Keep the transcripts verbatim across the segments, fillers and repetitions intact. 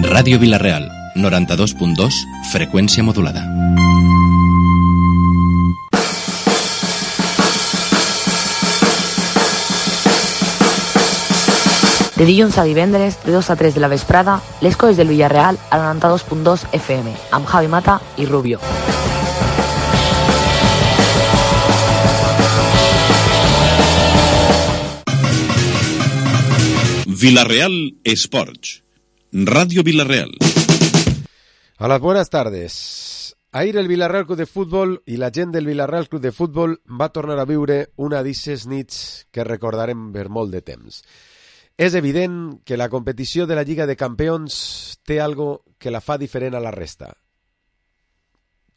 Ràdio Vila-real, noranta-dos punt dos, freqüència modulada. De dilluns a divendres, de dos a tres de la vesprada, les coses del Villarreal a noranta-dos punt dos F M, amb Javi Mata i Rubio. Villarreal Sports, Radio Villarreal. A las buenas tardes. Ahir el Villarreal Club de Futbol i la gent del Villarreal Club de Futbol va tornar a viure una d'aquestes nits que recordarem per molt de temps. És evident que la competició de la Lliga de Campions té algo que la fa diferent a la resta.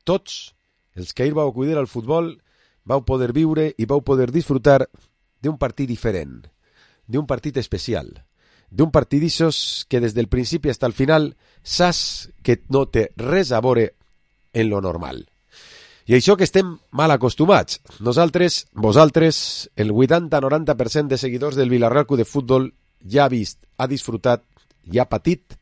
Tots els que ahir vau acudir al futbol vau poder viure i vau poder disfrutar d'un partit diferent, d'un partit especial, d'un partit d'ixos que des del principi fins al final saps que no té res a veure en lo normal. I això que estem mal acostumats. Nosaltres, vosaltres, el vuitanta a noranta per cent de seguidors del Villarreal Club de Futbol ja ha vist, ha disfrutat i ha patit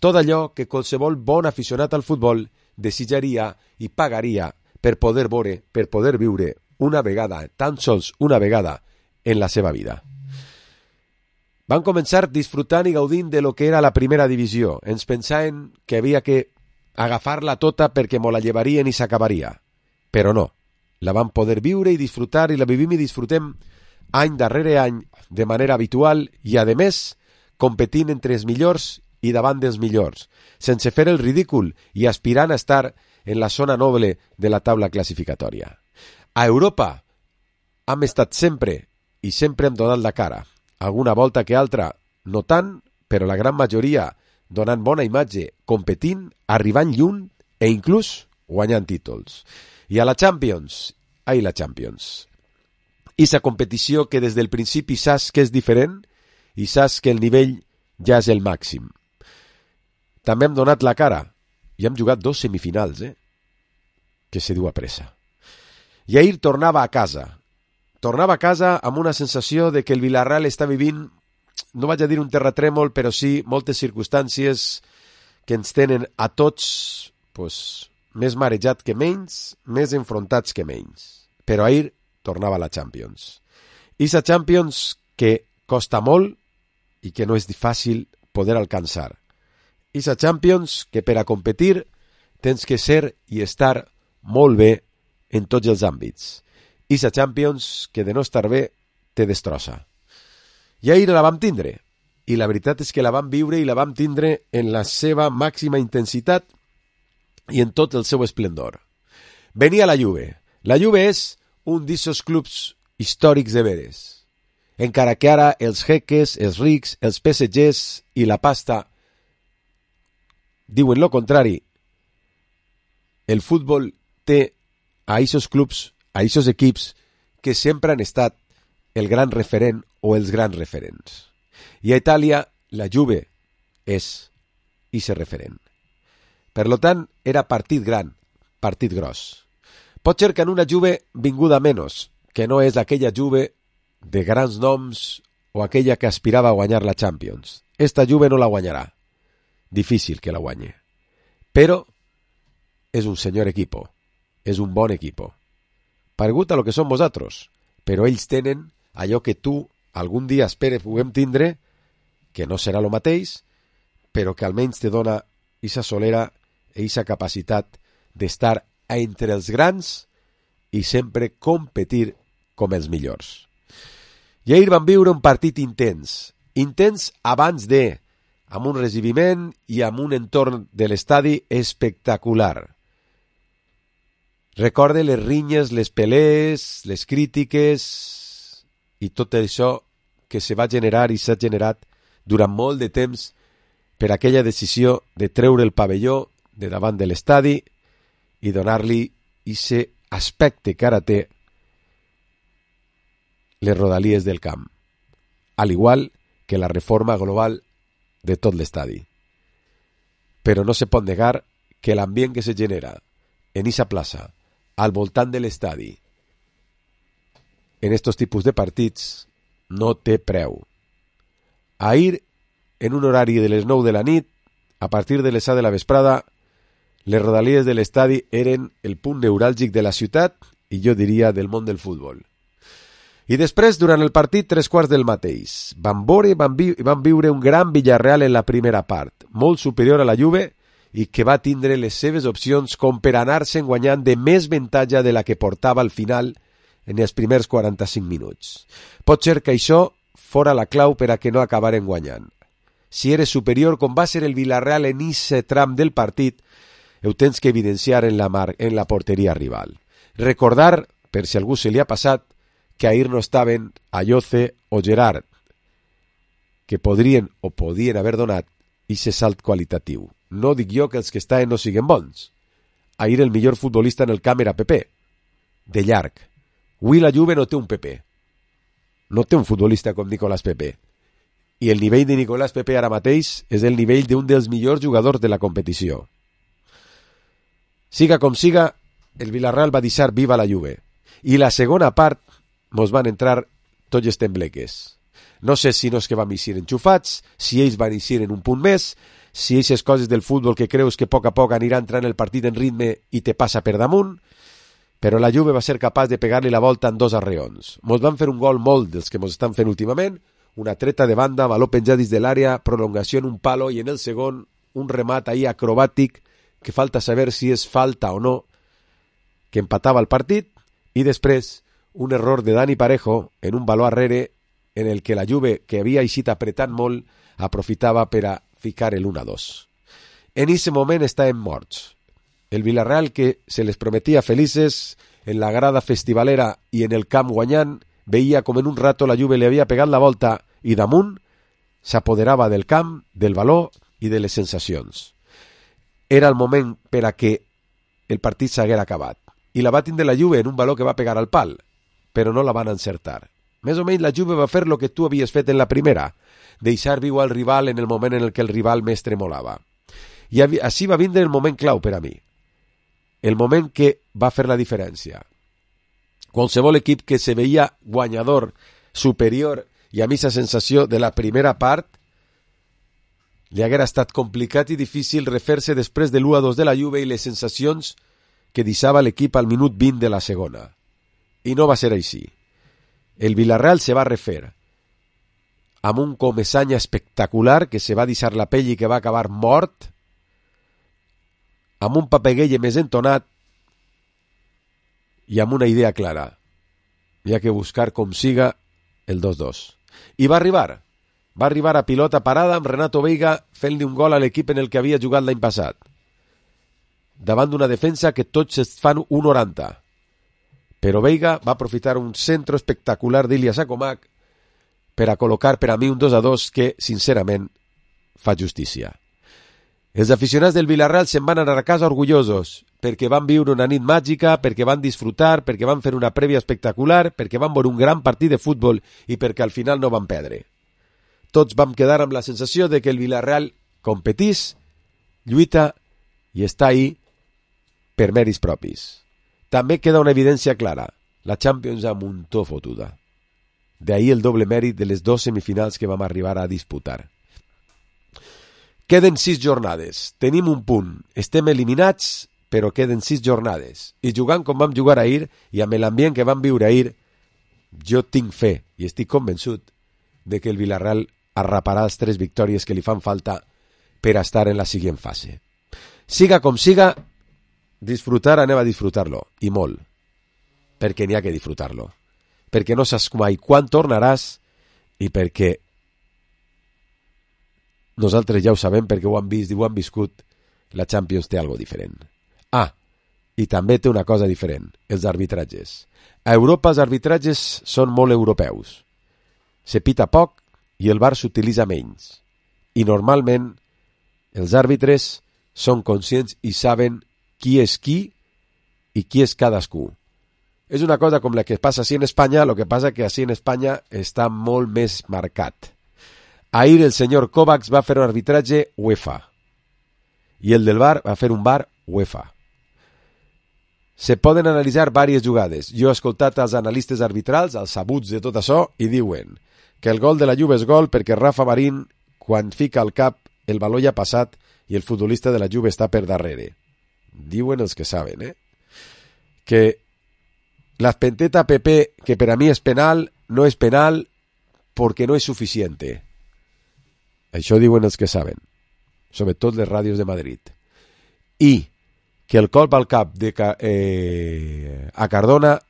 tot allò que qualsevol bon aficionat al futbol desitjaria i pagaria per poder veure, per poder viure una vegada, tan sols una vegada en la seva vida. Van començar disfrutant i gaudint de lo que era la primera divisió. Ens pensaven que havia que agafar-la tota perquè mo la llevarien i s'acabaria. Però no, la van poder viure i disfrutar i la vivim i disfrutem any darrere any de manera habitual i, a més, competint entre els millors i davant dels millors, sense fer el ridícul i aspirant a estar en la zona noble de la taula classificatòria. A Europa hem estat sempre i sempre hem donat la cara. Alguna volta que altra, no tant, però la gran majoria donant bona imatge, competint, arribant lluny e inclús guanyant títols. I a la Champions, ai la Champions, Issa competició que des del principi saps que és diferent i saps que el nivell ja és el màxim. També hem donat la cara i hem jugat dos semifinals, eh? Que se diu a pressa. I ahir tornava a casa. Tornava a casa amb una sensació de que el Villarreal està vivint, no vaig a dir un terratrèmol, però sí moltes circumstàncies que ens tenen a tots pues, més marejat que menys, més enfrontats que menys. Però ahir tornava a la Champions. Issa Champions que costa molt i que no és fàcil poder alcançar. Issa Champions que per a competir tens que ser i estar molt bé en tots els àmbits. Issa Champions que de no estar bé te destrossa. I ahir la vam tindre. I la veritat és que la vam viure i la vam tindre en la seva màxima intensitat i en tot el seu esplendor. Venia la Juve. La Juve és un d'essos clubs històrics de veres. Encara que ara els jeques, els rics, els P S Gs i la pasta diuen lo contrari, el futbol té a aquests clubs, a aquests equips que sempre han estat el gran referent o els grans referents. I a Itàlia la Juve és ese referent. Per lo tant, era partit gran, partit gros. Pot ser que en una Juve vinguda menos, que no és aquella Juve de grans noms o aquella que aspirava a guanyar la Champions. Esta Juve no la guanyarà. Difícil que la guanye. Però és un senyor equipo. És un bon equipo. Paregut a lo que som vosaltres. Però ells tenen allò que tu algun dia esperes puguem tindre, que no serà lo mateix, però que almenys te dona esa solera i esa capacitat d'estar entre els grans i sempre competir com els millors. I ahir vam viure un partit intens, intens abans de, amb un recibiment i amb un entorn de l'estadi espectacular. Recorde les rinyes, les pelees, les crítiques i tot això que se va generar i s'ha generat durant molt de temps per aquella decisió de treure el pavelló de davant de l'estadi i donar-li ese aspecte que ara té les rodalies del camp, al igual que la reforma global de tot l'estadi. Però no se pot negar que l'ambient que se genera en esa plaça, al voltant de l'estadi, en estos tipus de partits, no té preu. Ahir en un horari de les nou de la nit, a partir de les set de la vesprada, les rodalies de l'estadi eren el punt neuràlgic de la ciutat i jo diria del món del futbol. I després, durant el partit, tres quarts del mateix. Van veure i van, vi van viure un gran Villarreal en la primera part, molt superior a la Juve i que va tindre les seves opcions com per anar-se'n guanyant de més avantatge de la que portava al final en els primers quaranta-cinc minuts. Pot ser que això fora la clau per a que no acabaren guanyant. Si eres superior, com va ser el Villarreal en aquest tram del partit, ho tens que evidenciar en la, mar en la porteria rival. Recordar, per si algú se li ha passat, que ahir no estaven Ayoce o Gerard, que podrien o podien haver donat aquest salt qualitatiu. No dic jo que els que estaven no siguen bons. Ahir el millor futbolista en el camp era Pepe, de llarg. Avui la Juve no té un Pepe. No té un futbolista com Nicolás Pepe. I el nivell de Nicolás Pepe ara mateix és el nivell d'un dels millors jugadors de la competició. Siga com siga, el Villarreal va deixar viva la Juve. I la segona part mos van entrar tots els tembleques. No sé si no és que vam eixir enxufats, si ells van eixir en un punt més, si aquestes coses del futbol que creus que a poc a poc anirà entrant el partit en ritme i te passa per damunt, però la Juve va ser capaç de pegar-li la volta en dos arreons. Mos van fer un gol molt dels que mos estan fent últimament, una treta de banda, baló penjat dins de l'àrea, prolongació en un palo i en el segon un remat ahí acrobàtic que falta saber si és falta o no, que empatava el partit, i després un error de Dani Parejo en un baló arrere en el que la Juve, que havia eixit apretant molt, aprofitava per a ficar el un a dos. En aquest moment estàvem morts. El Villarreal, que se les prometia felices en la grada festivalera i en el camp guanyant, veia com en un rato la Juve li havia pegat la volta i damunt s'apoderava del camp, del baló i de les sensacions. Era el moment per a que el partit s'haguera acabat. I la va tindre la Juve en un baló que va pegar al pal, però no la van encertar. Més o menys la Juve va fer el que tu havies fet en la primera, deixar viu al rival en el moment en el que el rival més tremolava. I així va vindre el moment clau per a mi. El moment que va fer la diferència. Qualsevol equip que se veia guanyador, superior i amb aquesta sensació de la primera part, li haguera estat complicat i difícil refer-se després de l'u a dos de la Juve i les sensacions que deixava l'equip al minut vint de la segona. I no va ser així. El Villarreal se va refer amb un Comesaña espectacular que se va deixar la pell i que va acabar mort, amb un Papegueye més entonat i amb una idea clara. Hi ha que buscar com siga el dos dos. I va arribar. Va arribar a pilota parada amb Renato Veiga fent-li un gol a l'equip en el que havia jugat l'any passat. Davant d'una defensa que tots es fan un noranta. Però Veiga va aprofitar un centro espectacular d'Ilias Acomac per a col·locar per a mi un dos a dos que, sincerament, fa justícia. Els aficionats del Villarreal se'n van anar a casa orgullosos perquè van viure una nit màgica, perquè van disfrutar, perquè van fer una prèvia espectacular, perquè van veure un gran partit de futbol i perquè al final no van perdre. Tots vam quedar amb la sensació de que el Villarreal competís, lluita i està ahí per mèrits propis. També queda una evidència clara. La Champions a muntó fotuda. De ahí el doble mèrit de les dos semifinals que vam arribar a disputar. Queden sis jornades. Tenim un punt. Estem eliminats, però queden sis jornades. I jugant com vam jugar ahir i amb l'ambient que vam viure ahir, jo tinc fe i estic convençut de que el Villarreal arraparà les tres victòries que li fan falta per a estar en la següent fase. Siga com siga, disfrutar, anem a disfrutar-lo, i molt, perquè n'hi ha que disfrutar-lo, perquè no saps mai quan tornaràs i perquè nosaltres ja ho sabem, perquè ho han vist i ho han viscut, la Champions té algo diferent. Ah, i també té una cosa diferent, els arbitratges. A Europa els arbitratges són molt europeus. Se pita poc i el V A R s'utilitza menys. I normalment els àrbitres són conscients i saben qui és qui i qui és cadascú. És una cosa com la que passa així en Espanya, el que passa que així en Espanya està molt més marcat. Ahir el senyor Kovacs va fer un arbitratge UEFA i el del V A R va fer un V A R UEFA. Se poden analitzar diverses jugades. Jo he escoltat els analistes arbitrals, els sabuts de tot això, i diuen que el gol de la Juve és gol perquè Rafa Marín quan fica al cap el valor ja passat i el futbolista de la Juve està per darrere. Diuen els que saben, eh? Que la penteta Pepe, que per a mi és penal, no és penal perquè no és suficiente. Això diuen els que saben, sobretot les ràdios de Madrid. I que el colp al cap de eh, a Cardona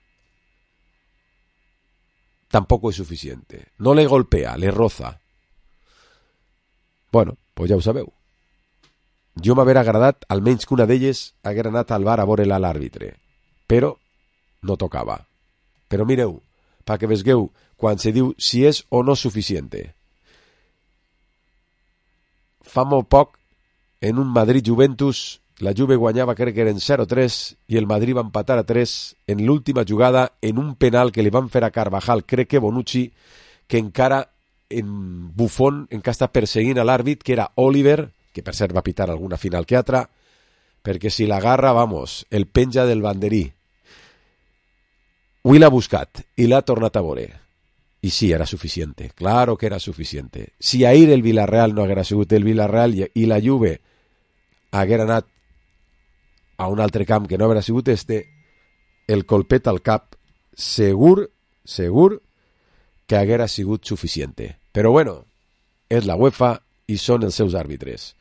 tampoco es suficiente. No le golpea, le roza. Bueno, pues ja ho sabeu. Jo m'haver agradat almenys que una d'elles haguera anat al bar a veure-la a l'àrbitre, però no tocava. Però mireu, perquè vesgueu quan se diu si és o no suficiente. Fa molt poc, en un Madrid-Juventus, la Juve guanyava, crec que eren zero a tres, i el Madrid va empatar a tres en l'última jugada en un penal que li van fer a Carvajal, crec que Bonucci, que encara en Buffon encara està perseguint a l'àrbit, que era Oliver, que per cert va pitar alguna final que altra, perquè si l'agarra, vamos, el penja del banderí. Avui l'ha buscat i l'ha tornat a veure. I sí, era suficiente, claro que era suficiente. Si ahir el Villarreal no haguera sigut el Villarreal i la Juve haguera anat a un altre camp que no haguera sigut este, el colpet al cap segur, segur que haguera sigut suficiente. Però bueno, és la UEFA i són els seus àrbitres.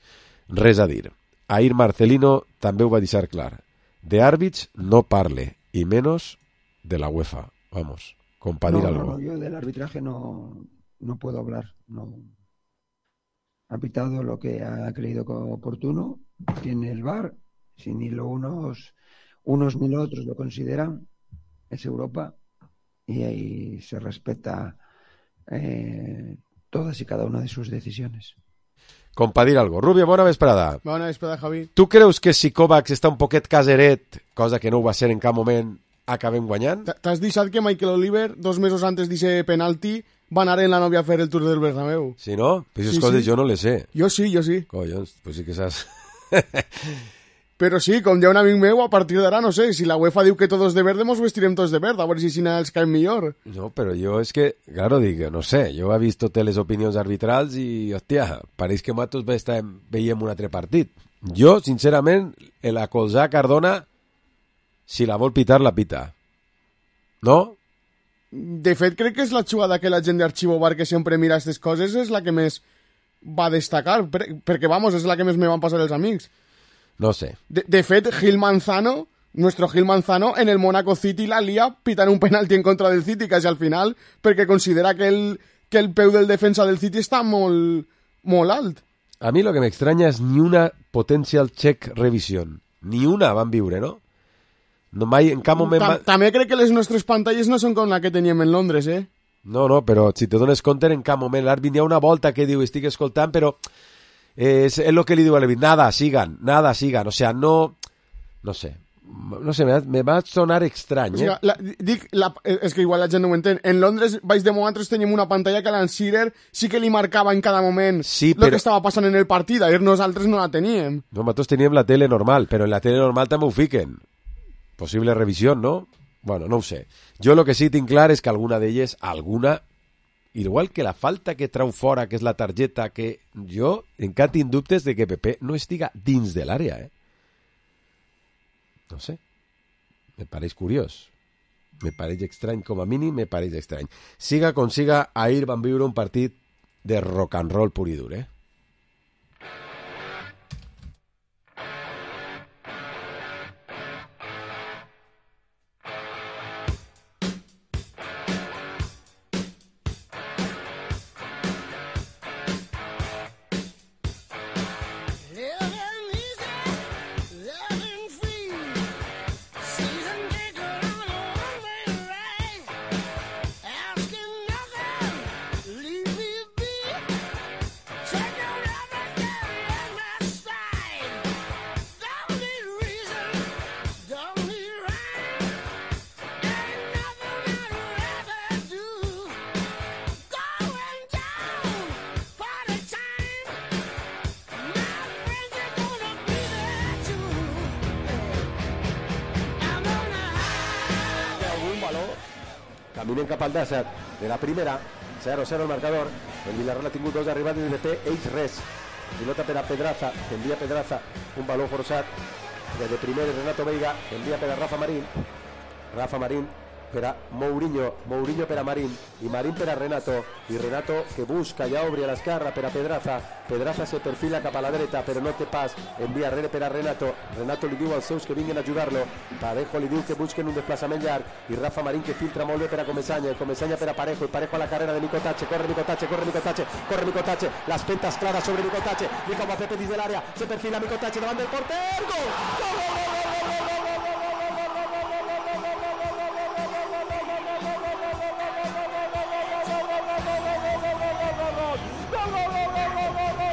Res a dir. Ahir Marcelino també ho va deixar clar. De àrbits no parle, y menos de la UEFA. Vamos, compartir no, algo. No, no, yo del arbitraje no, no puedo hablar. No. Ha pitado lo que ha creído oportuno. Tiene el V A R. Si ni lo unos, unos ni los otros lo consideran, es Europa. Y ahí se respeta eh, todas y cada una de sus decisiones. Compartir algo. Rubio, bona vesprada. Bona vesprada, Javi. Tu creus que si Kovacs està un poquet caseret, cosa que no ho va ser en cap moment, acabem guanyant? T'has deixat que Michael Oliver, dos mesos antes d'ese penalti, va anar en la nòvia a fer el Tour del Bernabéu. Sí, no? Pues esas sí, coses sí. jo no les sé. Jo sí, jo sí. Collons, pues sí que saps. Però sí, com ja un amic meu, a partir d'ara, no sé, si la UEFA diu que tots de verde, mos vestirem tots de verde, a veure si si els caen millor. No, però jo és que, claro, dic, no sé, jo he vist totes les opinions arbitrals i, hòstia, pareix que nosaltres veiem un altre partit. Jo, sincerament, la colzar Cardona, si la vol pitar, la pita. No? De fet, crec que és la jugada que la gent d'Arxivo Bar, que sempre mira aquestes coses, és la que més va destacar, perquè, vamos, és la que més me van passar els amics. No sé. De, de fet, Gil Manzano, nuestro Gil Manzano, en el Monaco City la lia pitant un penalti en contra del City, quasi al final, perquè considera que el, que el peu del defensa del City està molt, molt alt. A mi lo que m'extranya és ni una potential check revision. Ni una van viure, no? No mai, en cap moment... Ta, també crec que les nostres pantalles no són com la que teníem en Londres, eh? No, no, però si te dones compte, en cap moment l'àrbit hi ha una volta que diu, estic escoltant, però... Eh, és el que li diu a l'Evit, nada, sigan, nada, sigan, o sea, no, no sé, no sé, me, me va sonar estrany, eh? O sigui, la, dic, la, és que igual la gent no ho entén, en Londres, baix de nosaltres teníem una pantalla que l'Alan Shearer sí que li marcava en cada moment sí, però... el que estava passant en el partit, ahir nosaltres no la teníem. Nosaltres teníem la tele normal, però en la tele normal també ho fiquen, possible revisió, no? Bueno, no ho sé, jo lo que sí tinc clar és que alguna d'elles, alguna... Igual que la falta que trau fora, que és la targeta, que jo encara tinc dubtes de que Pepe no estiga dins de l'àrea, eh? No sé. Me pareix curiós. Me pareix estrany, com a mínim, me pareix estrany. Siga com siga, ahir van viure un partit de rock and roll pur i dur, eh? Caminen cap al desert de la primera, zero a zero el marcador. El Villarreal ha tingut dos arribades i de P, ells res. Pilota per a Pedraza, envia Pedraza, un baló forçat de primer Renato Veiga, envia per a Rafa Marín, Rafa Marín per a Mourinho, Mourinho per a Marín i Marín per a Renato, i Renato que busca, ja obri a l'esquerra per a Pedraza, Pedraza se perfila cap a la dreta però no té pas, envia rere per a Renato, Renato li diu als seus que vinguin a ajudar-lo, Parejo li diu que busquen un desplaçament llarg i Rafa Marín que filtra molt bé per a Comesaña, Comesaña per a Parejo i Parejo a la carrera de Nico Tache, corre Nico Tache, corre Nico Tache, corre Nico Tache, las pentas claras sobre Nico Tache, Nico va Pepe dins de l'àrea, se perfila Nico Tache davant del porter, gol! Gol, gol, gol, gol, gol, gol!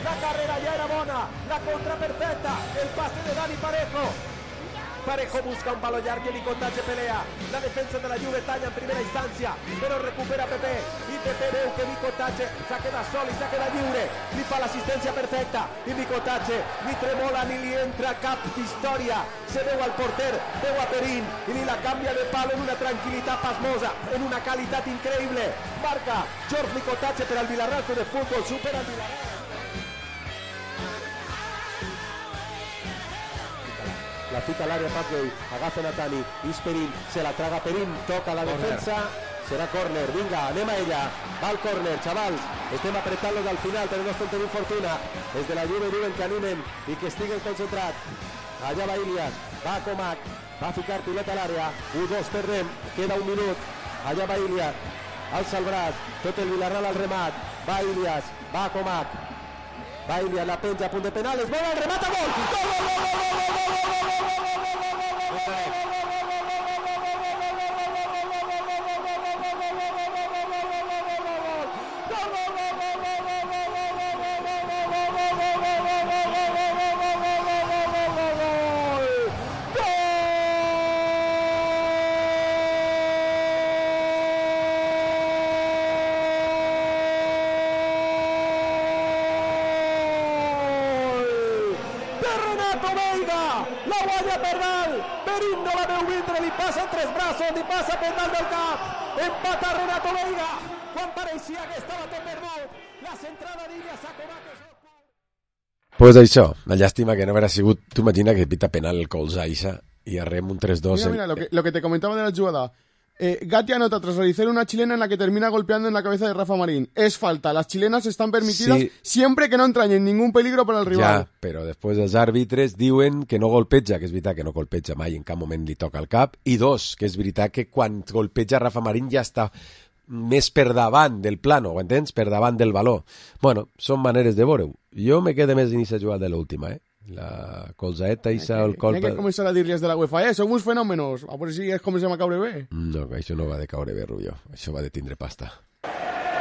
La carrera ya era bona, la contra perfecta, el pase de Dani Parejo. Parejo busca un palo llarg que Nico Tache pelea. La defensa de la Juve talla en primera instancia, però recupera Pepe i Pepe veu que Nico Tache s'ha quedat sol i s'ha quedat lliure. Li fa l'assistència perfecta i Nico Tache ni tremola ni li entra cap història. Se veu al porter, veu a Perín i li la canvia de palo en una tranquil·litat pasmosa, en una qualitat increïble. Marca George Nico Tache per al Villarreal de Fútbol, supera el Villarreal. La fica al área Patrick, agafa Natani, és Perín, se la traga Perín, toca la defensa, serà córner, vinga, anem a ella, va al córner, xavals, estem apretant-los al final, però no estem tenint fortuna, des de la Juve diuen que animen i que estiguen concentrats, allà va Ilias, va Comac, va ficar pilota a l'àrea, u dos perdem, queda un minut, allà va Ilias, alça el braç, tot el Villarreal al remat, va Ilias, va Comac, va Ilias, la penja a punt de penales, vol el remat a gol, gol, gol, gol, gol, gol, gol, gol, gol, gol, la guanya Pernal, Perín no la veu vindre, li passa en tres braços, li passa per dalt del cap, empata Renato Veiga, quan pareixia que estava tot perdut, la centrada d'Ilias a Comac. Pues això, la llàstima que no haurà sigut, tu imagina que pita penal el Colzaixa i arrem un tres dos. Mira, mira, lo que, lo que te comentaba de la jugada. Eh, Gatti anota tras realizar una chilena en la que termina golpeando en la cabeza de Rafa Marín. Es falta, las chilenas están permitidas sí, siempre que no entrañen ningún peligro para el rival. Ja, però després els àrbitres diuen que no golpeja, que és veritat que no golpeja mai, en cap moment li toca el cap, i dos, que és veritat que quan golpeja Rafa Marín ja està més per davant del plano, ho entens? Per davant del baló. Bueno, són maneres de veure-ho. Jo me quedé més dins a jugar de l'última, eh? La colzaeta i el colp... Hay que comenzar a dir-les de la UEFA, eh? Som uns fenòmenos. A veure si es comencem a caure bé. No, això no va de caure bé, Rubio. Això va de tindre pasta.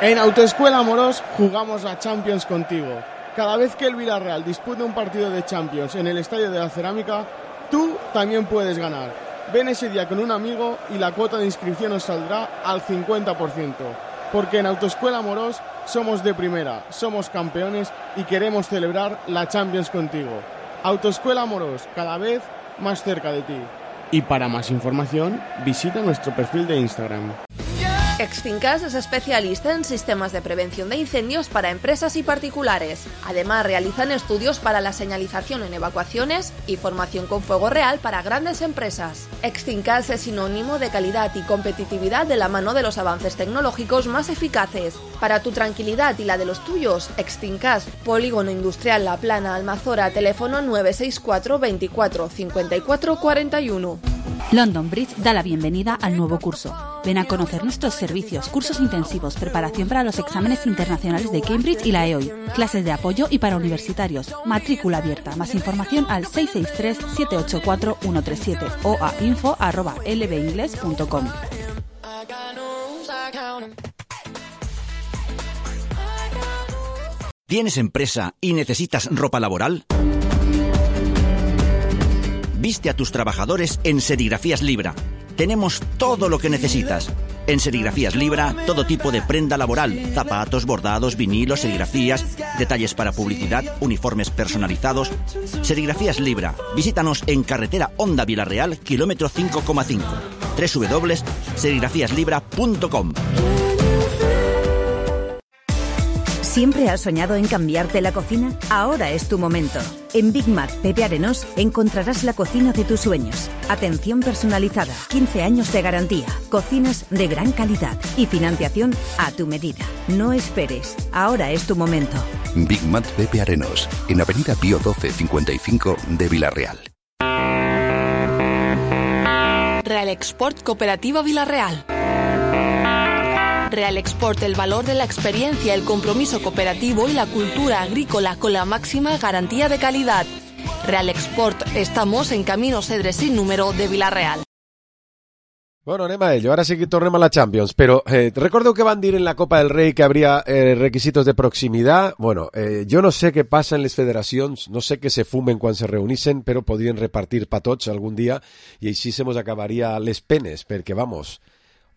En Autoescuela Amorós jugamos la Champions contigo. Cada vez que el Villarreal dispute un partido de Champions en el Estadio de la Cerámica, tú también puedes ganar. Ven ese día con un amigo y la cuota de inscripción nos saldrá al cincuenta por ciento. Porque en Autoescuela Amorós somos de primera, somos campeones y queremos celebrar la Champions contigo. Autoescuela Amorós, cada vez más cerca de ti. Y para más información, visita nuestro perfil de Instagram. Extincas es especialista en sistemas de prevención de incendios para empresas y particulares. Además, realizan estudios para la señalización en evacuaciones y formación con fuego real para grandes empresas. Extincas es sinónimo de calidad y competitividad de la mano de los avances tecnológicos más eficaces. Para tu tranquilidad y la de los tuyos, Extincas, Polígono Industrial La Plana, Almazora, teléfono nueve seis cuatro veinticuatro cincuenta y cuatro cuarenta y uno. London Bridge da la bienvenida al nuevo curso. Ven a conocer nuestros servicios, cursos intensivos, preparación para los exámenes internacionales de Cambridge y la E O I, clases de apoyo y para universitarios, matrícula abierta. Más información al seis seis tres siete ocho cuatro uno tres siete o a info arroba l b ingles punto com. ¿Tienes empresa y necesitas ropa laboral? Viste a tus trabajadores en Serigrafías Libra. Tenemos todo lo que necesitas. En Serigrafías Libra, todo tipo de prenda laboral, zapatos, bordados, vinilos, serigrafías, detalles para publicidad, uniformes personalizados. Serigrafías Libra. Visítanos en carretera Honda Vilarreal, kilómetro cinco coma cinco. doble u doble u doble u punto serigrafías libra punto com. ¿Siempre has soñado en cambiarte la cocina? Ahora es tu momento. En Big Mac Pepe Arenós encontrarás la cocina de tus sueños. Atención personalizada, quince años de garantía, cocinas de gran calidad y financiación a tu medida. No esperes, ahora es tu momento. Big Mac Pepe Arenós, en Avenida Pío doce cincuenta y cinco de Vilarreal. Real Export Cooperativa Vilarreal. Real Export, el valor de la experiencia, el compromiso cooperativo y la cultura agrícola con la máxima garantía de calidad. Real Export, estamos en Camino Cedre sin número de Vilarreal. Bueno, anem a ello. Ara sí que tornem a la Champions, però eh, recordeu que van dir en la Copa del Rei que habría eh, requisitos de proximitat? Bueno, eh, jo no sé què passa en les federacions, no sé què se fumen quan se reunissen, però podrien repartir pa tots algun dia i així se mos acabaria les penes, perquè, vamos...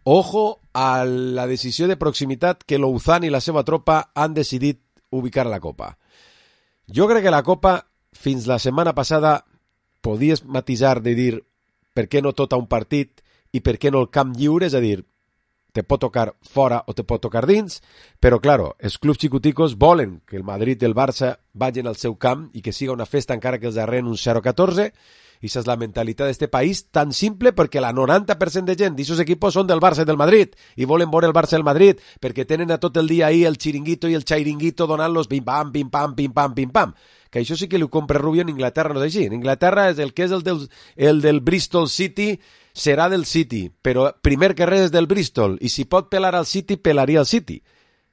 Ojo a la decisió de proximitat que Louzán i la seva tropa han decidit ubicar a la Copa. Jo crec que la Copa, fins la setmana passada, podies matisar de dir per què no tot a un partit i per què no el camp lliure, és a dir, te pot tocar fora o te pot tocar dins, però, claro, els clubs xicoticos volen que el Madrid i el Barça vagin al seu camp i que siga una festa encara que els darreren un zero catorze. I esa és la mentalitat d'este país, tan simple perquè la noranta per cent de gent d'aquests equipos són del Barça i del Madrid i volen veure el Barça i el Madrid perquè tenen a tot el dia ahí el xiringuito i el xairinguito donant-los pim-pam, pim-pam, pim-pam, pim-pam. Que això sí que li ho compra Rubio en Inglaterra, no és així. En Inglaterra és el que és el del, el del Bristol City serà del City, però primer que res és del Bristol i si pot pelar al City, pelaria al City.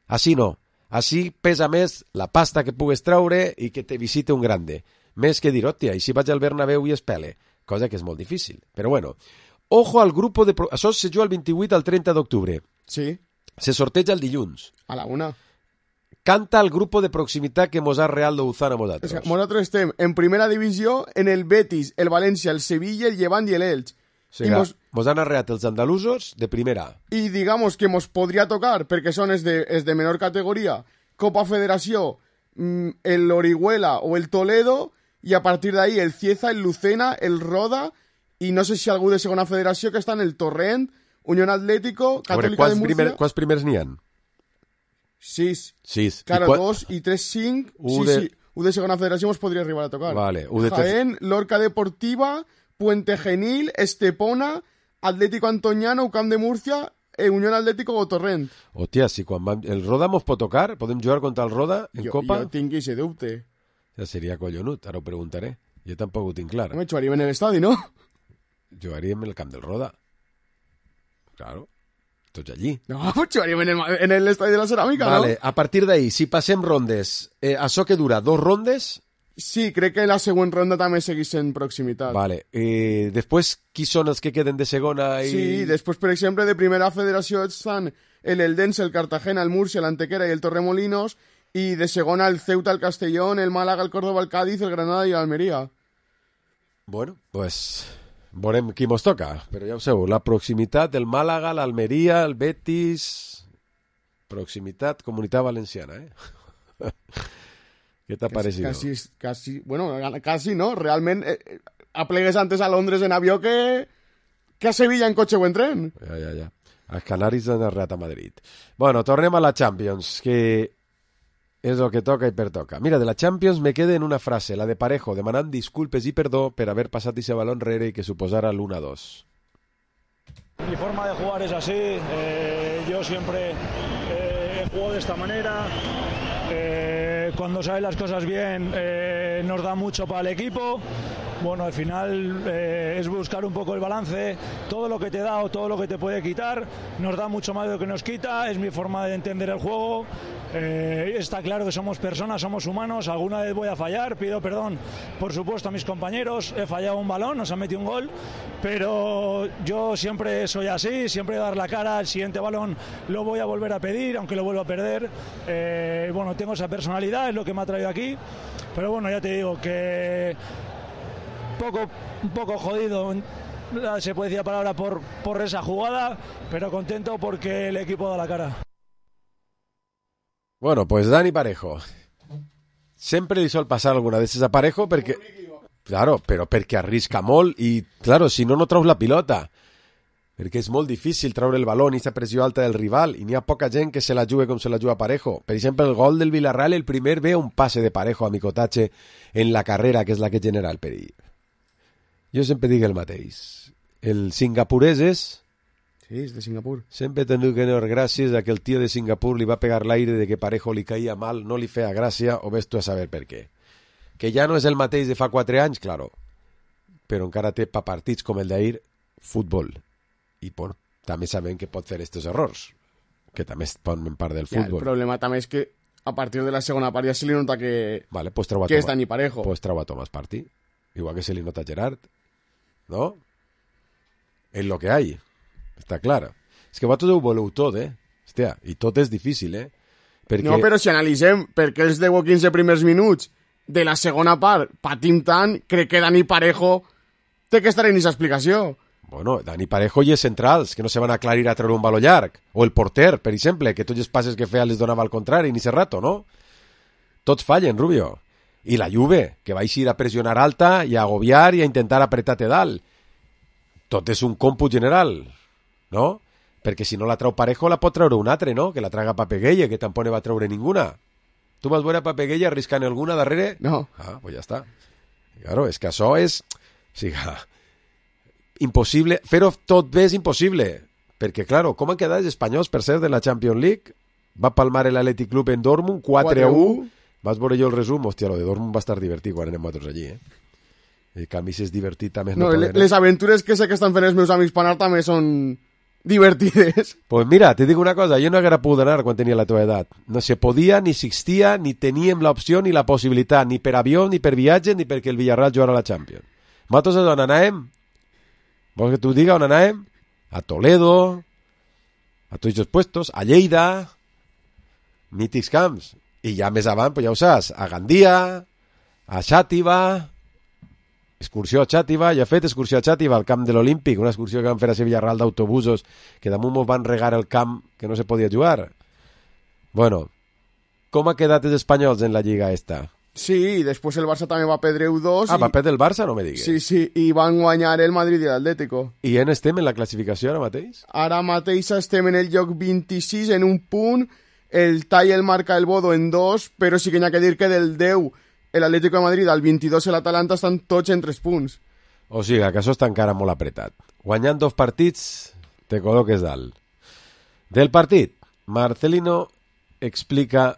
Així no. Així pesa més la pasta que pugues treure i que te visite un grande. Més que dir, hòstia, i si vaig al Bernabéu i es pele, cosa que és molt difícil. Però bueno, ojo al grupo de... Pro... Això se juga el vint-i-vuit al trenta d'octubre. Sí. Se sorteja el dilluns. A la una. Canta el grupo de proximitat que mos ha Real Louzán a vosaltres. O sea, nosaltres estem en primera divisió en el Betis, el València, el Sevilla, el Llevant i el Elx. O sigui, mos... mos han arreat els andalusos de primera. I digamos que mos podria tocar, perquè són els de, els de menor categoria, Copa Federació, el Orihuela o el Toledo... i a partir d'ahí el Cieza, el Lucena, el Roda i no sé si algú de segona federació que està en el Torrent, Unión Atlético, Catòlica de Múrcia... Primer, quants primers n'hi ha? Sis. Sis. Claro, qua... dos i tres, cinc. U sí, de... sí. U de segona federació ens podria arribar a tocar. Vale. U de Jaén, Lorca Deportiva, Puente Genil, Estepona, Atlético Antoñano, Camp de Múrcia, eh, Unión Atlético o Torrent. Hòstia, si quan vam... el Roda mos pot tocar? Podem jugar contra el Roda en jo, Copa? Jo tinc aquest dubte. Ja seria collonut, ara ho preguntaré. Jo tampoc ho tinc clar. Home, jugaríem en l'estadi, no? Jugaríem en el camp del Roda. Claro, tots allí. No, pues jugaríem en l'estadi de la Ceràmica, vale, no? A partir d'ahí, si passem rondes, eh, això que dura, dos rondes? Sí, crec que la següent ronda també seguís en proximitat. Vale, eh, després, qui són els que queden de segona? I... Sí, després, per exemple, de primera federació estan el Eldense, el Cartagena, el Murcia, l'Antequera i el Torremolinos, y de segona el Ceuta, el Castellón, el Málaga, el Córdoba, el Cádiz, el Granada i l'Almeria. Bueno, pues veurem qui mos toca, però ja ho sabeu, la proximitat, el Málaga, l'Almeria, el Betis... Proximitat, Comunitat Valenciana, eh? Què t'ha parecido? Casi, casi, bueno, casi no, realment eh, aplegues antes a Londres en avió que, que a Sevilla en cotxe o en tren. Ja, ja, ja. Els Canaris han arreat a Madrid. Bueno, tornem a la Champions, que és el que toca i pertoca. Mira, de la Champions me queda en una frase, la de Parejo, demanant disculpes i perdó per haver passat ese balón enrere i que suposara l'uno a dos. Mi forma de jugar es así, eh, yo siempre eh, he jugado de esta manera, eh, cuando salen las cosas bien eh, nos da mucho para el equipo. Bueno, al final eh, es buscar un poco el balance, todo lo que te da o todo lo que te puede quitar, nos da mucho más de lo que nos quita, es mi forma de entender el juego, eh, está claro que somos personas, somos humanos, alguna vez voy a fallar, pido perdón por supuesto a mis compañeros, he fallado un balón, nos han metido un gol, pero yo siempre soy así, siempre dar la cara, el siguiente balón lo voy a volver a pedir, aunque lo vuelva a perder, eh, bueno, tengo esa personalidad, es lo que me ha traído aquí, pero bueno, ya te digo que... Poco, un poco jodido se puede decir la palabra por, por esa jugada, pero contento porque el equipo da la cara. Bueno, pues Dani Parejo. Sempre li sol passar alguna vegades a Parejo perquè... Claro, però perquè arrisca molt i, claro, si no, no treus la pilota. Perquè és molt difícil treure el baló i aquesta pressió alta del rival i n'hi ha poca gent que se la jugue com se la juga Parejo. Per exemple, el gol del Villarreal, el primer ve un passe de Parejo a Micotache en la carrera, que és la que genera el perill. Jo sempre dic el mateix. El singapurès és... Sí, és de Singapur. Sempre he tingut que donar gràcies a que el tio de Singapur li va pegar l'aire de que Parejo li caia mal, no li feia gràcia, o ves tu a saber per què. Que ja no és el mateix de fa quatre anys, claro, però encara té pa partits com el d'ahir, futbol. I bueno, també sabem que pot fer estos errors, que també formen part del futbol. Ja, el problema també és que a partir de la segona part ja se li nota que, vale, pues treu a que Toma, és Dani Parejo. Pues treu a Tomàs Partí, igual que se li nota a Gerard, ¿no? És lo que hay. Està clar. És que vosaltres ho voleu tot, eh? Hòstia, i tot és difícil, eh? Perquè... No, però si analitzem per què els deu o quinze primers minuts de la segona part patim tant, crec que Dani Parejo té que estar en aquesta explicació. Bueno, Dani Parejo i els centrals, que no se van aclarir a treure un baló llarg. O el porter, per exemple, que tots els passes que feia les donava al contrari, ni ese rato, no? Tots fallen, Rubio. I la Juve, que va eixir a pressionar alta i a agobiar i a intentar apretar-te dalt. Tot és un còmput general, no? Perquè si no la treu Parejo la pot treure un altre, no? Que la traga Papegueye, que tampoc ne va treure ninguna. Tu vas veure a Papegueye arriscant alguna darrere? No. Ah, pues ja està. Claro, és que això és... O sigui, impossible. Fer-ho tot bé és impossible. Perquè, claro, com han quedat els espanyols, per ser de la Champions League? Va palmar l'Athletic Club en Dortmund, quatre a u. Vas veure jo el resum? Hòstia, lo de Dortmund va estar divertit quan anem nosaltres allí, eh? El canvi si és divertit també no, no poden, eh? Les aventures que sé que estan fent els meus amics per anar també són divertides. Pues mira, te dic una cosa, jo no haguera pogut anar quan tenia la teva edat. No se podia, ni existia, ni teníem l'opció ni la possibilitat, ni per avió, ni per viatge, ni perquè el Villarreal jugara a la Champions. Nosaltres on anàvem? Vols que t'ho diga on anàvem? A Toledo, a tots els puestos, a Lleida, mítics camps. I ja més avant, pues ja ho saps, a Gandia, a Xàtiva, excursió a Xàtiva, ja he fet excursió a Xàtiva al camp de l'Olímpic, una excursió que van fer a Villarreal d'autobusos, que damunt mos van regar el camp que no se podia jugar. Bueno, com ha quedat els espanyols en la lliga esta? Sí, després el Barça també va perdre u dos. Ah, i... va perdre el Barça? No me digues. Sí, sí, i van guanyar el Madrid i l'Atlético. I en estem en la classificació ara mateix? Ara mateix estem en el lloc vint-i-sis, en un punt, el tall el marca el Bodo en dos, però sí que n'hi ha que dir que del deu l'Atlético de Madrid al vint-i-dos i l'Atalanta estan tots en tres punts. O sigui, que això està encara molt apretat. Guanyant dos partits, te col·loques dalt. Del partit, Marcelino explica,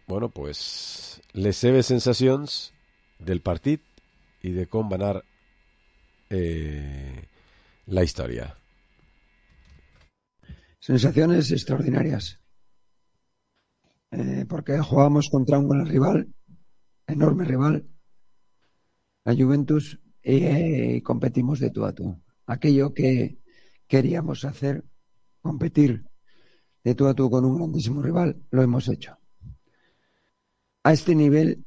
bueno, pues, les seves sensacions del partit i de com va anar eh, la història. Sensaciones extraordinarias. Eh, porque jugamos contra un gran rival, enorme rival, la Juventus, y eh, competimos de tú a tú. Aquello que queríamos hacer, competir de tú a tú con un grandísimo rival, lo hemos hecho. A este nivel,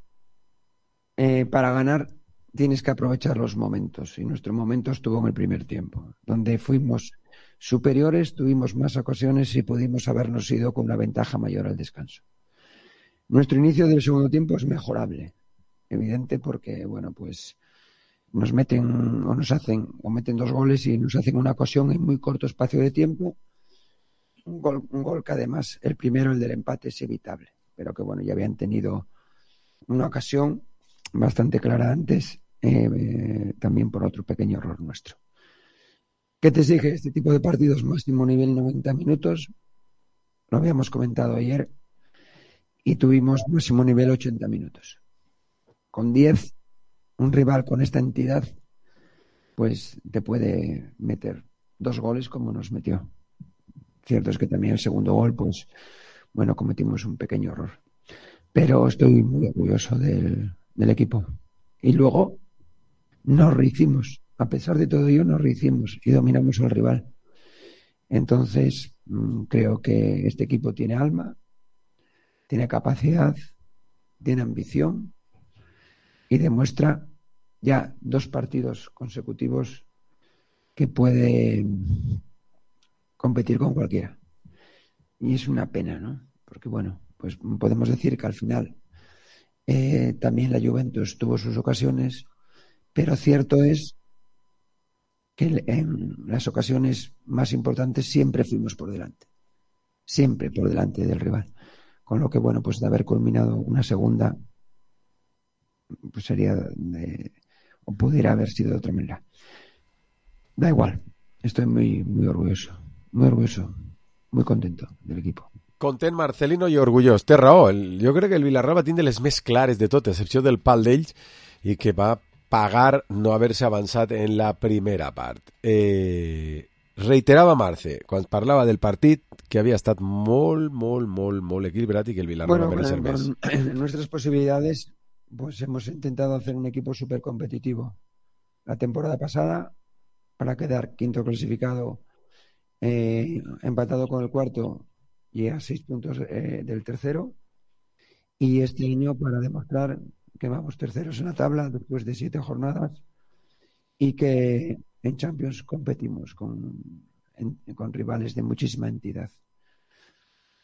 eh, para ganar, tienes que aprovechar los momentos, y nuestro momento estuvo en el primer tiempo, donde fuimos superiores, tuvimos más ocasiones y pudimos habernos ido con una ventaja mayor al descanso. Nuestro inicio del segundo tiempo es mejorable, evidente, porque bueno, pues nos meten o nos hacen o meten dos goles y nos hacen una ocasión en muy corto espacio de tiempo, un gol, un gol que además el primero, el del empate, es evitable, pero que bueno, ya habían tenido una ocasión bastante clara antes, eh, eh, también por otro pequeño error nuestro. ¿Qué te exige este tipo de partidos? Máximo nivel noventa minutos, lo habíamos comentado ayer, y tuvimos máximo nivel ochenta minutos. Con diez, un rival con esta entidad, pues te puede meter dos goles como nos metió. Cierto es que también el segundo gol, pues, bueno, cometimos un pequeño error. Pero estoy muy orgulloso del, del equipo. Y luego nos rehicimos. A pesar de todo ello, nos rehicimos y dominamos al rival. Entonces, creo que este equipo tiene alma, tiene capacidad, tiene ambición y demuestra ya dos partidos consecutivos que puede competir con cualquiera. Y es una pena, ¿no? Porque, bueno, pues podemos decir que al final eh, también la Juventus tuvo sus ocasiones, pero cierto es que en las ocasiones más importantes siempre fuimos por delante. Siempre por delante del rival. Con lo que, bueno, pues de haber culminado una segunda, pues sería de, o pudiera haber sido de otra manera. Da igual, estoy muy, muy orgulloso, muy orgulloso, muy contento del equipo. Content, Marcelino, i orgullós. Té raó, el, jo crec que el Villarreal va tindre les més clares de tot, a excepció del pal d'ells, i que va pagar no haver-se avançat en la primera part. Eh, reiterava Marce, quan parlava del partit, que havia estat molt, molt, molt, molt equilibrat i que el Villarreal bueno, va mereixer més. En nuestras posibilidades, pues hemos intentado hacer un equipo súper competitivo. La temporada pasada, para quedar quinto clasificado, eh, empatado con el cuarto y a seis puntos eh, del tercero, y este año para demostrar que vamos terceros en la tabla después de siete jornadas y que en Champions competimos con, en, con rivales de muchísima entidad.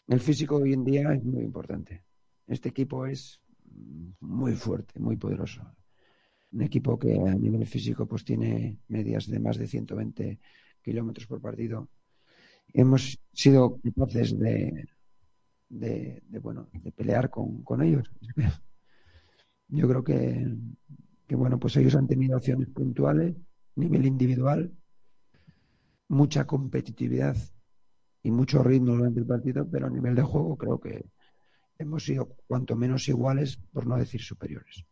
El físico hoy en día es muy importante. Este equipo es muy fuerte, muy poderoso. Un equipo que a nivel físico pues tiene medias de más de ciento veinte kilómetros por partido. Hemos sido capaces de, de, de, bueno, de pelear con, con ellos. Yo creo que, que bueno, pues ellos han tenido acciones puntuales, nivel individual, mucha competitividad y mucho ritmo durante el partido, pero a nivel de juego creo que hemos sido cuanto menos iguales, por no decir superiores.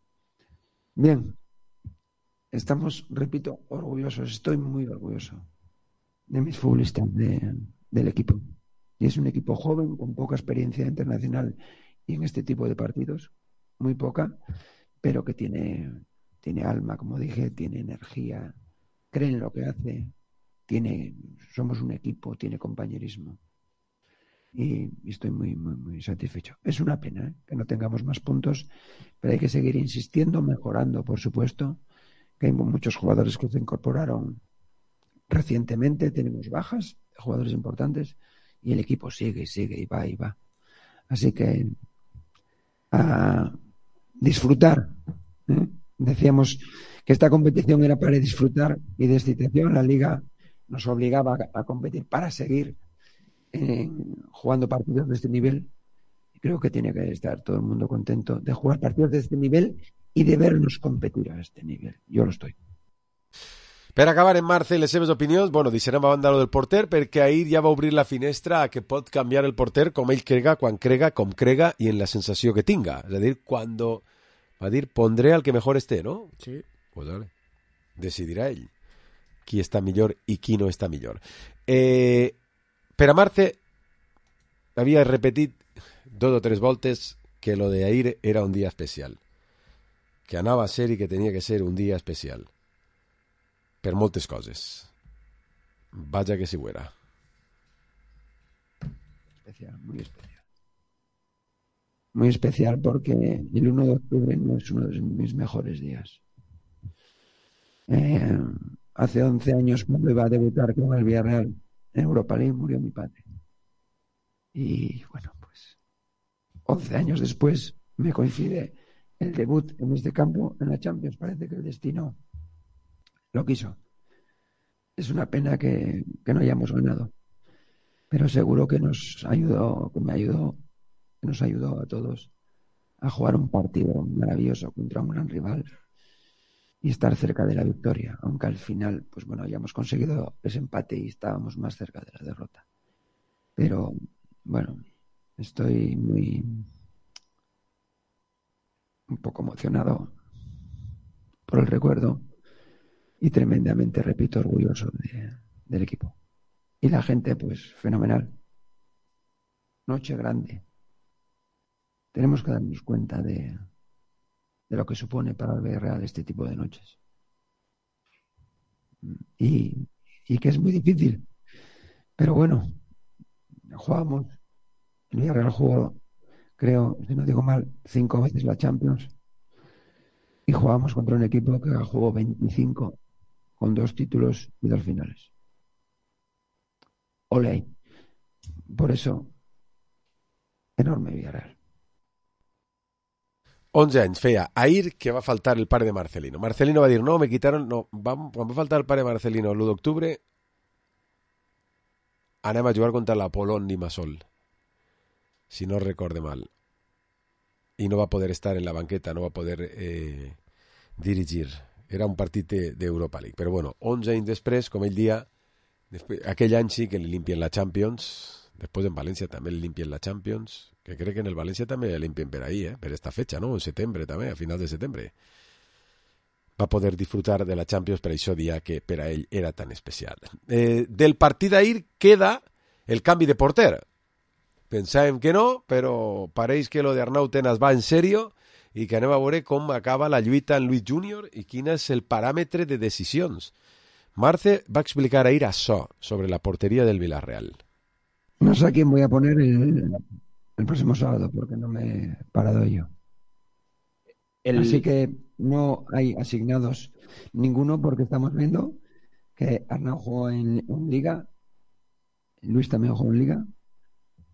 Bien, estamos, repito, orgullosos, estoy muy orgulloso de mis futbolistas de, del equipo. Y es un equipo joven, con poca experiencia internacional y en este tipo de partidos, muy poca, pero que tiene, tiene alma, como dije, tiene energía, cree en lo que hace, tiene, somos un equipo, tiene compañerismo. Y, y estoy muy, muy, muy satisfecho. Es una pena ¿eh? que no tengamos más puntos, pero hay que seguir insistiendo, mejorando, por supuesto, que hay muchos jugadores que se incorporaron recientemente, tenemos bajas, jugadores importantes, y el equipo sigue y sigue y va y va. Así que a disfrutar. ¿eh? Decíamos que esta competición era para disfrutar y de excitación. La Liga nos obligaba a, a competir para seguir eh, jugando partidos de este nivel. Creo que tiene que estar todo el mundo contento de jugar partidos de este nivel y de vernos competir a este nivel. Yo lo estoy. Per acabar, en Marce, les seves opinions, bueno, deixarem a banda lo del porter, perquè ahir ja va obrir la finestra a que pot canviar el porter com ell crega, quan crega, com crega i en la sensació que tinga. És a dir, quan va dir, pondré al que mejor esté, ¿no? Sí. Pues vale. Decidirà ell qui està millor i qui no està millor. Eh, per a Marce, havia repetit dos o tres voltes que lo de ahir era un dia especial. Que anava a ser i que tenia que ser un dia especial. Per moltes coses. Vaja que si ho era. Especial, muy especial. Muy especial porque el uno de octubre no es uno de mis mejores días. Eh, hace once años, cuando iba a debutar con el Villarreal en Europa League, murió mi padre. Y bueno, pues once años después me coincide el debut en este campo en la Champions. Parece que el destino lo quiso. Es una pena que, que no hayamos ganado, pero seguro que nos ayudó, que me ayudó, que nos ayudó a todos a jugar un partido maravilloso contra un gran rival y estar cerca de la victoria, aunque al final, pues bueno, hayamos conseguido ese empate y estábamos más cerca de la derrota. Pero bueno, estoy muy un poco emocionado por el recuerdo. Y tremendamente, repito, orgulloso de, del equipo. Y la gente, pues, fenomenal. Noche grande. Tenemos que darnos cuenta de, de lo que supone para el Villarreal este tipo de noches. Y, y que es muy difícil. Pero bueno, jugamos. El Villarreal jugó, creo, si no digo mal, cinco veces la Champions. Y jugamos contra un equipo que jugó veinticinco con dos títulos y dos finales. Ole. Por eso, enorme Villarreal. onze anys feia ahir que va faltar el pare de Marcelino. Marcelino va dir, no, me quitaron, no, va, quan va faltar el pare de Marcelino l'u d'octubre, anem a jugar contra l'Apolón Limassol, si no recorde mal. I no va poder estar en la banqueta, no va poder eh, dirigir. Era un partit d'Europa League. Però bueno, onze anys després, com ell dia, després, aquell any sí que li limpien la Champions, després en València també li limpien la Champions, que crec que en el València també li limpien per ahí, eh? Per esta fecha, no? En setembre també, a finals de setembre. Va poder disfrutar de la Champions per això dia que per a ell era tan especial. Eh, del partit d'ahir queda el canvi de porter. Pensàvem que no, però pareix que lo d'Arnau Tenas va en sèrio i que anem a veure com acaba la lluita en Luis Júnior i quin és el paràmetre de decisions. Marce va explicar ahir això sobre la portería del Villarreal. No sé a quién voy a poner el, el próximo sábado, porque no me he parado yo. El... Así que no hay asignados ninguno, porque estamos viendo que Arnau jugó en, en Liga, Luis también jugó en Liga,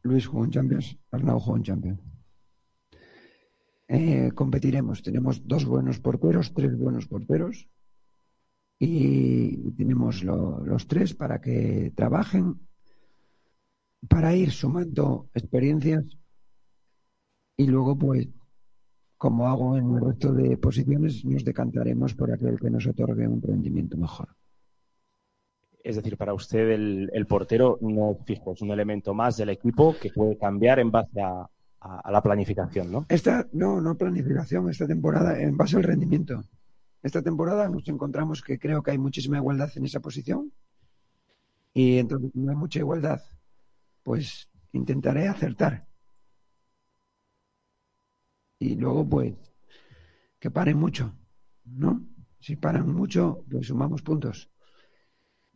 Luis jugó en Champions, Arnau jugó en Champions. Eh, competiremos, tenemos dos buenos porteros, tres buenos porteros, y tenemos lo, los tres para que trabajen, para ir sumando experiencias y luego, pues, como hago en el resto de posiciones, nos decantaremos por aquel que nos otorgue un rendimiento mejor. Es decir, para usted el, el portero no es fijo, es un elemento más del equipo que puede cambiar en base a, a, a la planificación, ¿no? Esta, no, no planificación, esta temporada en base al rendimiento. Esta temporada nos encontramos que creo que hay muchísima igualdad en esa posición y entonces no hay mucha igualdad, pues intentaré acertar. Y luego, pues, que paren mucho, ¿no? Si paran mucho, pues sumamos puntos.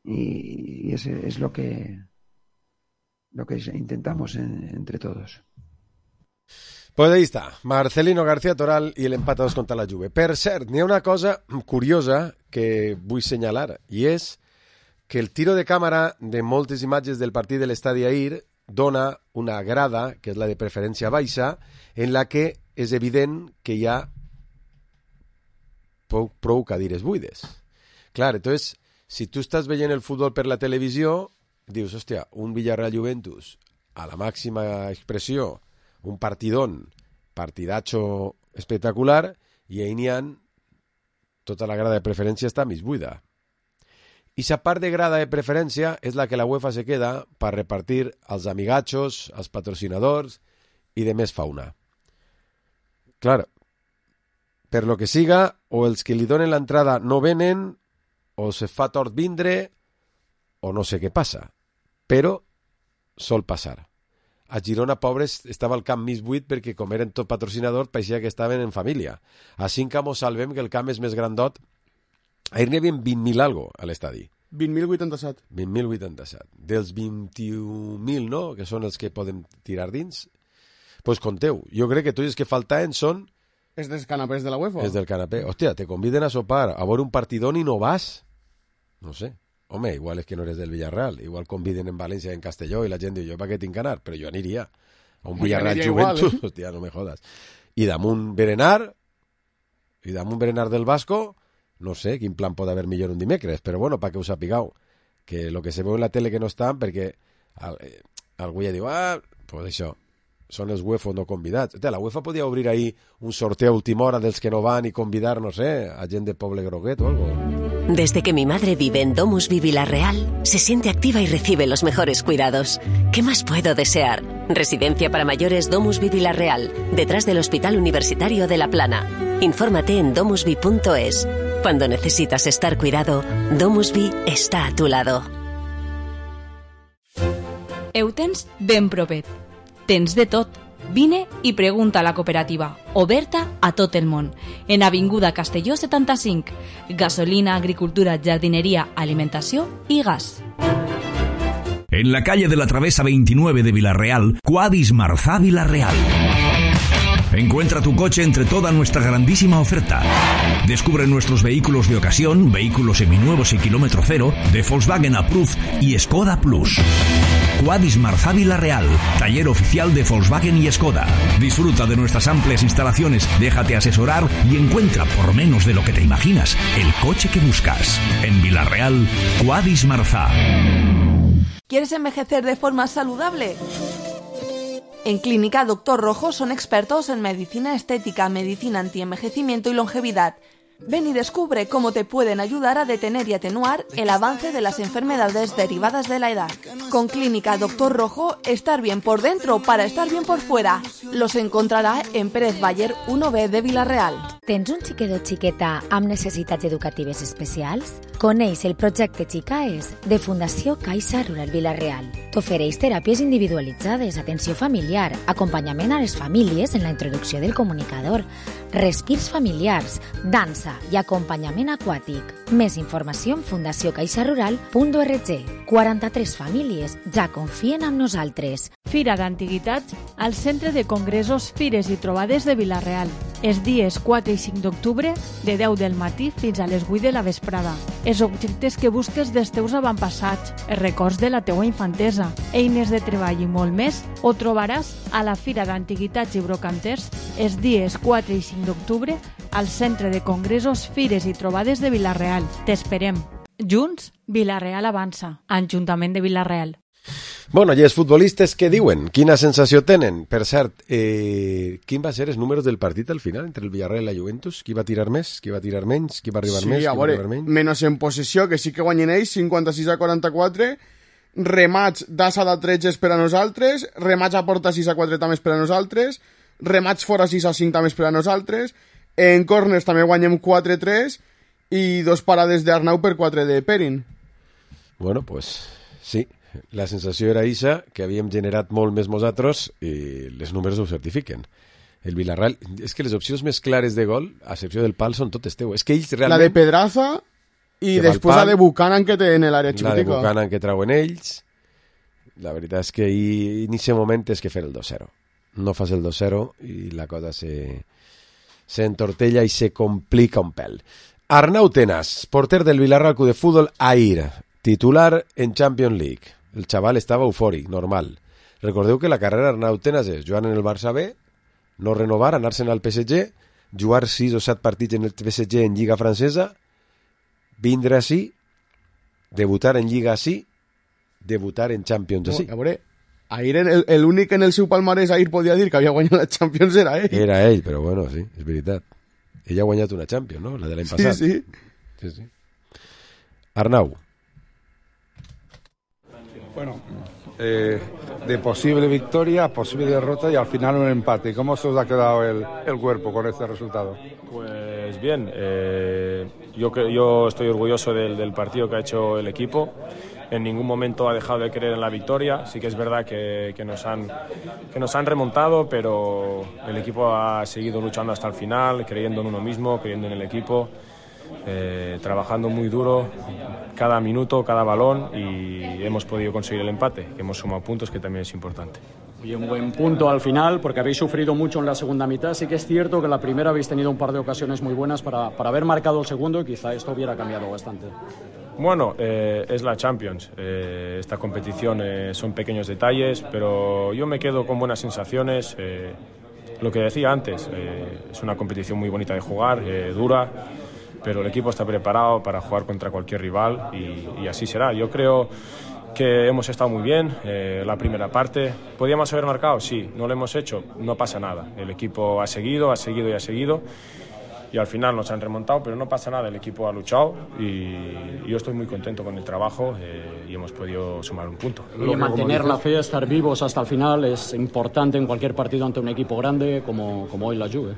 Y ese es lo que lo que intentamos en, entre todos. Pues ahí està, Marcelino García Toral i l'empat a dos contra la Juve. Per cert, n'hi ha una cosa curiosa que vull senyalar, i és que el tiro de càmera de moltes imatges del partit de l'estadi ahir dona una grada, que és la de preferència baixa, en la que és evident que hi ha prou, prou cadires buides. Clar, entonces, si tu estàs veient el futbol per la televisió, dius, hòstia, un Villarreal-Juventus a la màxima expressió, un partidón, partidacho espectacular, i ahí n'hi ha tota la grada de preferència està mig buida. I la part de grada de preferència és la que la UEFA se queda per repartir als amigachos, als patrocinadors i de més fauna. Clar, per lo que siga, o els que li donen l'entrada no venen, o se fa tort vindre, o no sé què passa. Però sol passar. A Girona, pobres, estava el camp mig buit perquè, com eren tot patrocinadors, pareixia que estaven en família. A Cinca mos salvem que el camp és més grandot. Ahir n'hi havia vint mil algo a l'estadi. vint mil vuitanta-set. vint mil vuitanta-set. Dels vint-i-un mil, no?, que són els que poden tirar dins, doncs pues conteu. Jo crec que tots els que faltaven són... És dels canapés de la UEFA. És del canapé. Hòstia, te conviden a sopar, a veure un partidón i no vas. No sé. Home, igual és que no eres del Villarreal. Igual conviden en València, en Castelló, i la gent diu, jo per què tinc que anar? Però jo aniria a un Villarreal-Juventus. Eh? Hòstia, no me jodas. I damunt berenar, i damunt berenar del Vasco, no sé quin plan pot haver millor un dimecres, però bueno, perquè ho sapigueu, que el que se veu en la tele que no estan, perquè eh, algú ja diu, ah, pues això, són els UEFA no convidats. La UEFA podia obrir ahí un sorteo a última hora dels que no van i convidar, no sé, a gent de Poble Groguet o algo. Desde que mi madre vive en DomusVi Villarreal, se siente activa y recibe los mejores cuidados. ¿Qué más puedo desear? Residencia para mayores DomusVi Villarreal, detrás del Hospital Universitario de La Plana. Infórmate en domusvi punto es. Cuando necesitas estar cuidado, DomusVi está a tu lado. Eutens ben propet. Tens de tot. Vine i pregunta a la cooperativa, oberta a tot el món, en Avinguda Castelló setanta-cinc. Gasolina, agricultura, jardinería, alimentació i gas. En la calle de la Travesa veintinueve de Villarreal, Cuadis Marzá Villarreal. Encuentra tu coche entre toda nuestra grandísima oferta. Descubre nuestros vehículos de ocasión, vehículos seminuevos y kilómetro cero, de Volkswagen Approved y Skoda Plus. Quadis Marzá Vila-real, taller oficial de Volkswagen y Skoda. Disfruta de nuestras amplias instalaciones, déjate asesorar y encuentra, por menos de lo que te imaginas, el coche que buscas. En Vila-real, Quadis Marzá. ¿Quieres envejecer de forma saludable? En Clínica Doctor Rojo son expertos en medicina estética, medicina antienvejecimiento y longevidad. Ven y descubre cómo te pueden ayudar a detener y atenuar el avance de las enfermedades derivadas de la edad. Con Clínica Doctor Rojo, estar bien por dentro para estar bien por fuera. Los encontrarà en Pérez Baller uno B de Vila-real. Tens un xiquet o xiqueta amb necessitats educatives especials? Coneix el projecte Xicaes de Fundació Caixa Rural Vila-real. T'ofereix teràpies individualitzades, atenció familiar, acompanyament a les famílies en la introducció del comunicador, respirs familiars, dansa i acompanyament aquàtic. Més informació en fundació caixa rural punt org. quaranta-tres famílies ja confien en nosaltres. Fira d'Antiguitats al Centre de Congressos, Fires i Trobades de Vila-real. Els dies quatre i cinc d'octubre, de deu del matí fins a les vuit de la vesprada. Els objectes que busques dels teus avantpassats, els records de la teua infantesa, eines de treball i molt més, ho trobaràs a la Fira d'Antiguitats i Brocanters els dies quatre i cinc d'octubre al Centre de Congressos, Fires i Trobades de Vila-real. T'esperem. Junts, Vila-real avança. Ajuntament de Vila-real. Bueno, i els futbolistes què diuen? Quina sensació tenen? Per cert, eh, quin va ser els números del partit al final entre el Villarreal i la Juventus? Qui va tirar més? Qui va tirar menys? Qui va arribar sí, més? Sí, a veure, menys en possessió, que sí que guanyen ells, cinquanta-sis a quaranta-quatre, remats d'Assa de tretze per a nosaltres, remats a porta sis a quatre també per a nosaltres, remats fora sis a cinc també per a nosaltres, en corners també guanyem quatre a tres i dos parades d'Arnau per quatre de Perin. Bueno, pues sí. La sensació era ixa, que havíem generat molt més nosaltres i les números ho certifiquen. El Villarreal, és que les opcions més clares de gol, a excepció del pal, són totes teues. És que ells realment... La de Pedraza i després la de Buchanan que té en l'àrea xicotica. La de Buchanan que trauen ells. La veritat és que ahir, en aquest moment és que fer el dos zero. No fas el dos zero i la cosa se, se entortella i se complica un pèl. Arnau Tenas, porter del Villarreal Club de Fútbol, ahir, titular en Champions League. El xaval estava eufòric, normal. Recordeu que la carrera d'Arnau Tenas és jugar en el Barça B, no renovar, anar-se'n al P S G, jugar sis o set partits en el P S G en Lliga Francesa, vindre ací, debutar en Lliga ací, debutar en Champions ací. No, a veure, ahir l'únic en el seu palmarès ahir podia dir que havia guanyat la Champions era ell. Era ell, però bueno, sí, és veritat. Ell ha guanyat una Champions, no? La de l'any passat. Sí, sí. sí, sí. Arnau. Bueno, eh, de posible victoria, posible derrota y al final un empate. ¿Cómo se os ha quedado el, el cuerpo con este resultado? Pues bien, eh, yo, yo estoy orgulloso del, del partido que ha hecho el equipo. En ningún momento ha dejado de creer en la victoria. Sí que es verdad que, que, nos han, que nos han remontado, pero el equipo ha seguido luchando hasta el final, creyendo en uno mismo, creyendo en el equipo. Eh, trabajando muy duro cada minuto, cada balón y hemos podido conseguir el empate, que hemos sumado puntos, que también es importante. Y un buen punto al final, porque habéis sufrido mucho en la segunda mitad. Sí que es cierto que en la primera habéis tenido un par de ocasiones muy buenas para, para haber marcado el segundo y quizá esto hubiera cambiado bastante. Bueno, eh, es la Champions. Eh, esta competición eh, son pequeños detalles, pero yo me quedo con buenas sensaciones. Eh, lo que decía antes, eh, es una competición muy bonita de jugar, eh, dura, pero el equipo está preparado para jugar contra cualquier rival y, y así será. Yo creo que hemos estado muy bien eh, la primera parte. ¿Podíamos haber marcado? Sí. ¿No lo hemos hecho? No pasa nada. El equipo ha seguido, ha seguido y ha seguido y al final nos han remontado, pero no pasa nada. El equipo ha luchado y yo estoy muy contento con el trabajo eh, y hemos podido sumar un punto. Y mantener la fe, estar vivos hasta el final es importante en cualquier partido ante un equipo grande como, como hoy la Juve.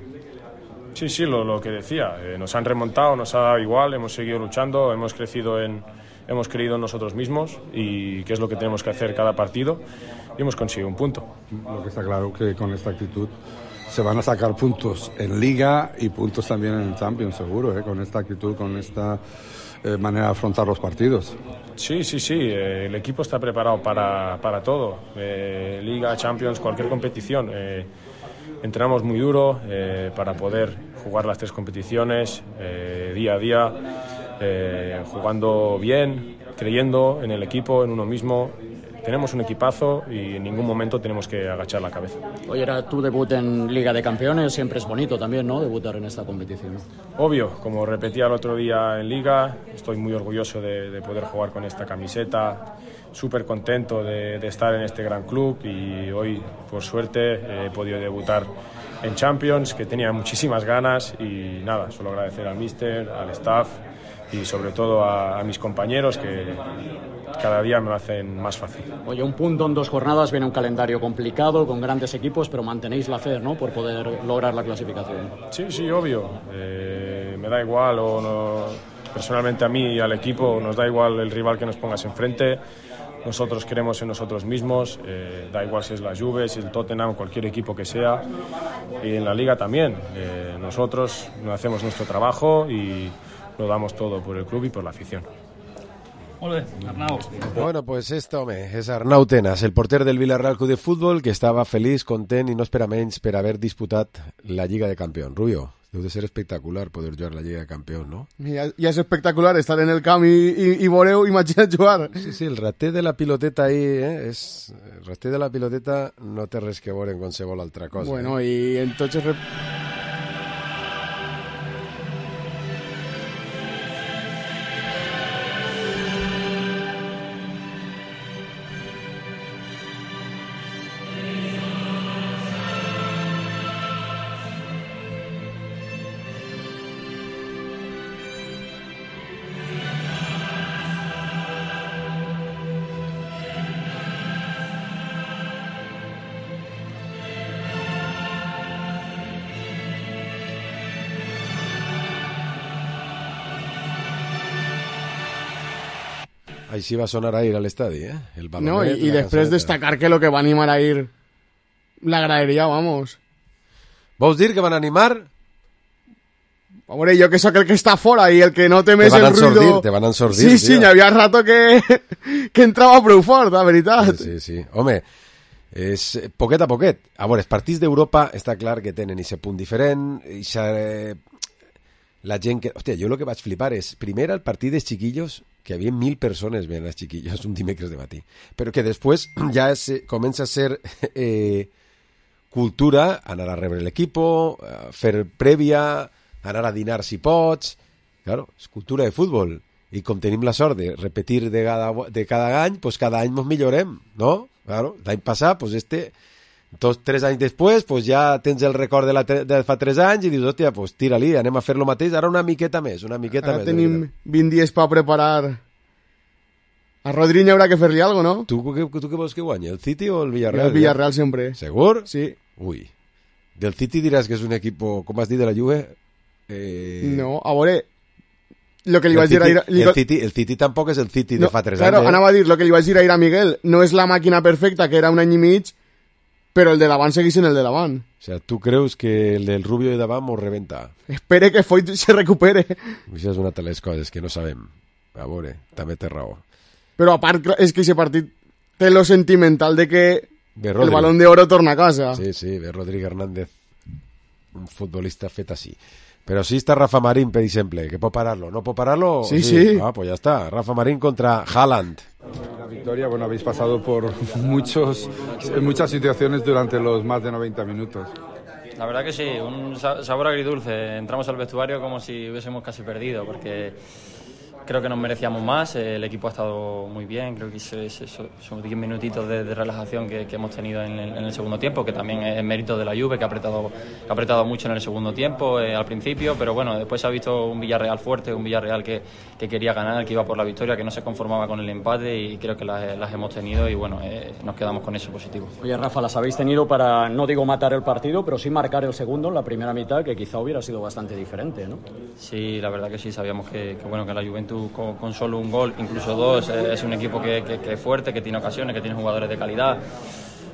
Sí, sí, lo, lo que decía, eh, nos han remontado, nos ha dado igual, hemos seguido luchando, hemos crecido en, hemos creído en nosotros mismos y que es lo que tenemos que hacer cada partido y hemos conseguido un punto. Lo que está claro que con esta actitud se van a sacar puntos en Liga y puntos también en Champions, seguro, ¿eh? Con esta actitud, con esta eh, manera de afrontar los partidos. Sí, sí, sí, eh, el equipo está preparado para, para todo, eh, Liga, Champions, cualquier competición. Eh, entrenamos muy duro eh, para poder jugar las tres competiciones eh, día a día, eh, jugando bien, creyendo en el equipo, en uno mismo. Tenemos un equipazo y en ningún momento tenemos que agachar la cabeza. Oye, era tu debut en Liga de Campeones, siempre es bonito también, ¿no?, debutar en esta competición. Obvio, como repetía el otro día en Liga, estoy muy orgulloso de, de poder jugar con esta camiseta, súper contento de, de estar en este gran club y hoy, por suerte, he podido debutar en Champions, que tenía muchísimas ganas y nada, solo agradecer al míster, al staff y sobre todo a, a mis compañeros que cada día me lo hacen más fácil. Oye, un punto en dos jornadas, viene un calendario complicado, con grandes equipos, pero mantenéis la fe, ¿no?, por poder lograr la clasificación. Sí, sí, obvio. Eh, me da igual, o no, personalmente a mí y al equipo nos da igual el rival que nos pongas enfrente. Nosotros creemos en nosotros mismos, eh, da igual si es la Juve, si el Tottenham, cualquier equipo que sea, y en la Liga también. Eh, nosotros hacemos nuestro trabajo y lo damos todo por el club y por la afición. Bueno, pues esto, home, és Arnau Tenas, el porter del Villarreal Club de Futbol, que estava feliç, content i no espera menys per haver disputat la Lliga de Campions. Rubio, deu de ser espectacular poder jugar la Lliga de Campions, no? Ja, ja és espectacular estar en el camp i, i, i veureu, imagina't jugar. Sí, sí, el rater de la piloteta ahí, eh, és... el rater de la piloteta no té res que veure amb qualsevol altra cosa. Bueno, eh? i entonces... Així va sonar a ir al estadi, eh? El balonet, no, y, y después destacar que lo que va a animar a ir la gradería, vamos. ¿Vos dir que van a animar? Hombre, yo que soy el que está fuera y el que no te mes el ruido... Sordir, te van a ensordir, Sí, sí, tío. ya había rato que, que entraba prou fort, la veritat. Sí, sí, sí. Home, és poquet a poquet. A veure, els partits d'Europa està clar que tenen aquest punt diferent, i eh, la gent que... Hòstia, jo el que vaig flipar és, primer el partit dels chiquillos, que hi havia mil persones veient els chiquillos un dimecres de matí, però que després ja es, comença a ser eh, cultura, anar a rebre l'equipo, fer prèvia, anar a dinar si pots... Claro, és cultura de futbol. I com tenim la sort de repetir de cada, de cada any, pues cada any ens millorem, no? Claro, l'any passat, pues este... Dos, tres anys després, pues ja tens el record de, la de, de fa tres anys i dius, hòstia, pues tira-li, anem a fer lo mateix, ara una miqueta més, una miqueta ara més. Ara tenim vint dies per preparar. A Rodriño haurà que fer-li algo, no? Tu, tu, tu què vols que guanyi, el City o el Villarreal? El Villarreal ja? Sempre. ¿Segur? Sí. Ui. Del City diràs que és un equip, com has dit, de la Juve? Eh... No, a veure... Lo que li el vaig City, dir a... el, City, el City tampoc és el City no, de fa tres claro, anys. Claro, anava a dir, lo que li vaig dir a Miguel, no és la màquina perfecta, que era un any i mig, però el de davant seguís en el de davant. O sea, tu creus que el del Rubio de davant mos rebenta? Espere que Foyt se recupere. Això és una de les coses que no sabem. A veure, també té raó. Però a part, és que aquest partit té lo sentimental de que ve el Balón de Oro torna a casa. Sí, sí, ve Rodrigo Hernández, un futbolista fet així. Però sí està Rafa Marín, per exemple, que pot parar-lo. ¿No pot parar-lo? Sí, sí. sí. Ah, pues ya está. Rafa Marín contra Haaland. La victoria, bueno, habéis pasado por muchos, muchas situaciones durante los más de noventa minutos. La verdad que sí, un sabor agridulce. Entramos al vestuario como si hubiésemos casi perdido, porque creo que nos merecíamos más. El equipo ha estado muy bien, creo que son diez minutitos de, de relajación que, que hemos tenido en el, en el segundo tiempo, que también es mérito de la Juve, que ha apretado, que ha apretado mucho en el segundo tiempo, eh, al principio, pero bueno, después se ha visto un Villarreal fuerte, un Villarreal que, que quería ganar, que iba por la victoria, que no se conformaba con el empate, y creo que las, las hemos tenido y bueno, eh, nos quedamos con eso positivo. Oye, Rafa, las habéis tenido para, no digo matar el partido, pero sí marcar el segundo en la primera mitad, que quizá hubiera sido bastante diferente, ¿no? Sí, la verdad que sí, sabíamos que, que bueno, que la Juventus con, con solo un gol, incluso dos, es un equipo que, que, que es fuerte, que tiene ocasiones, que tiene jugadores de calidad.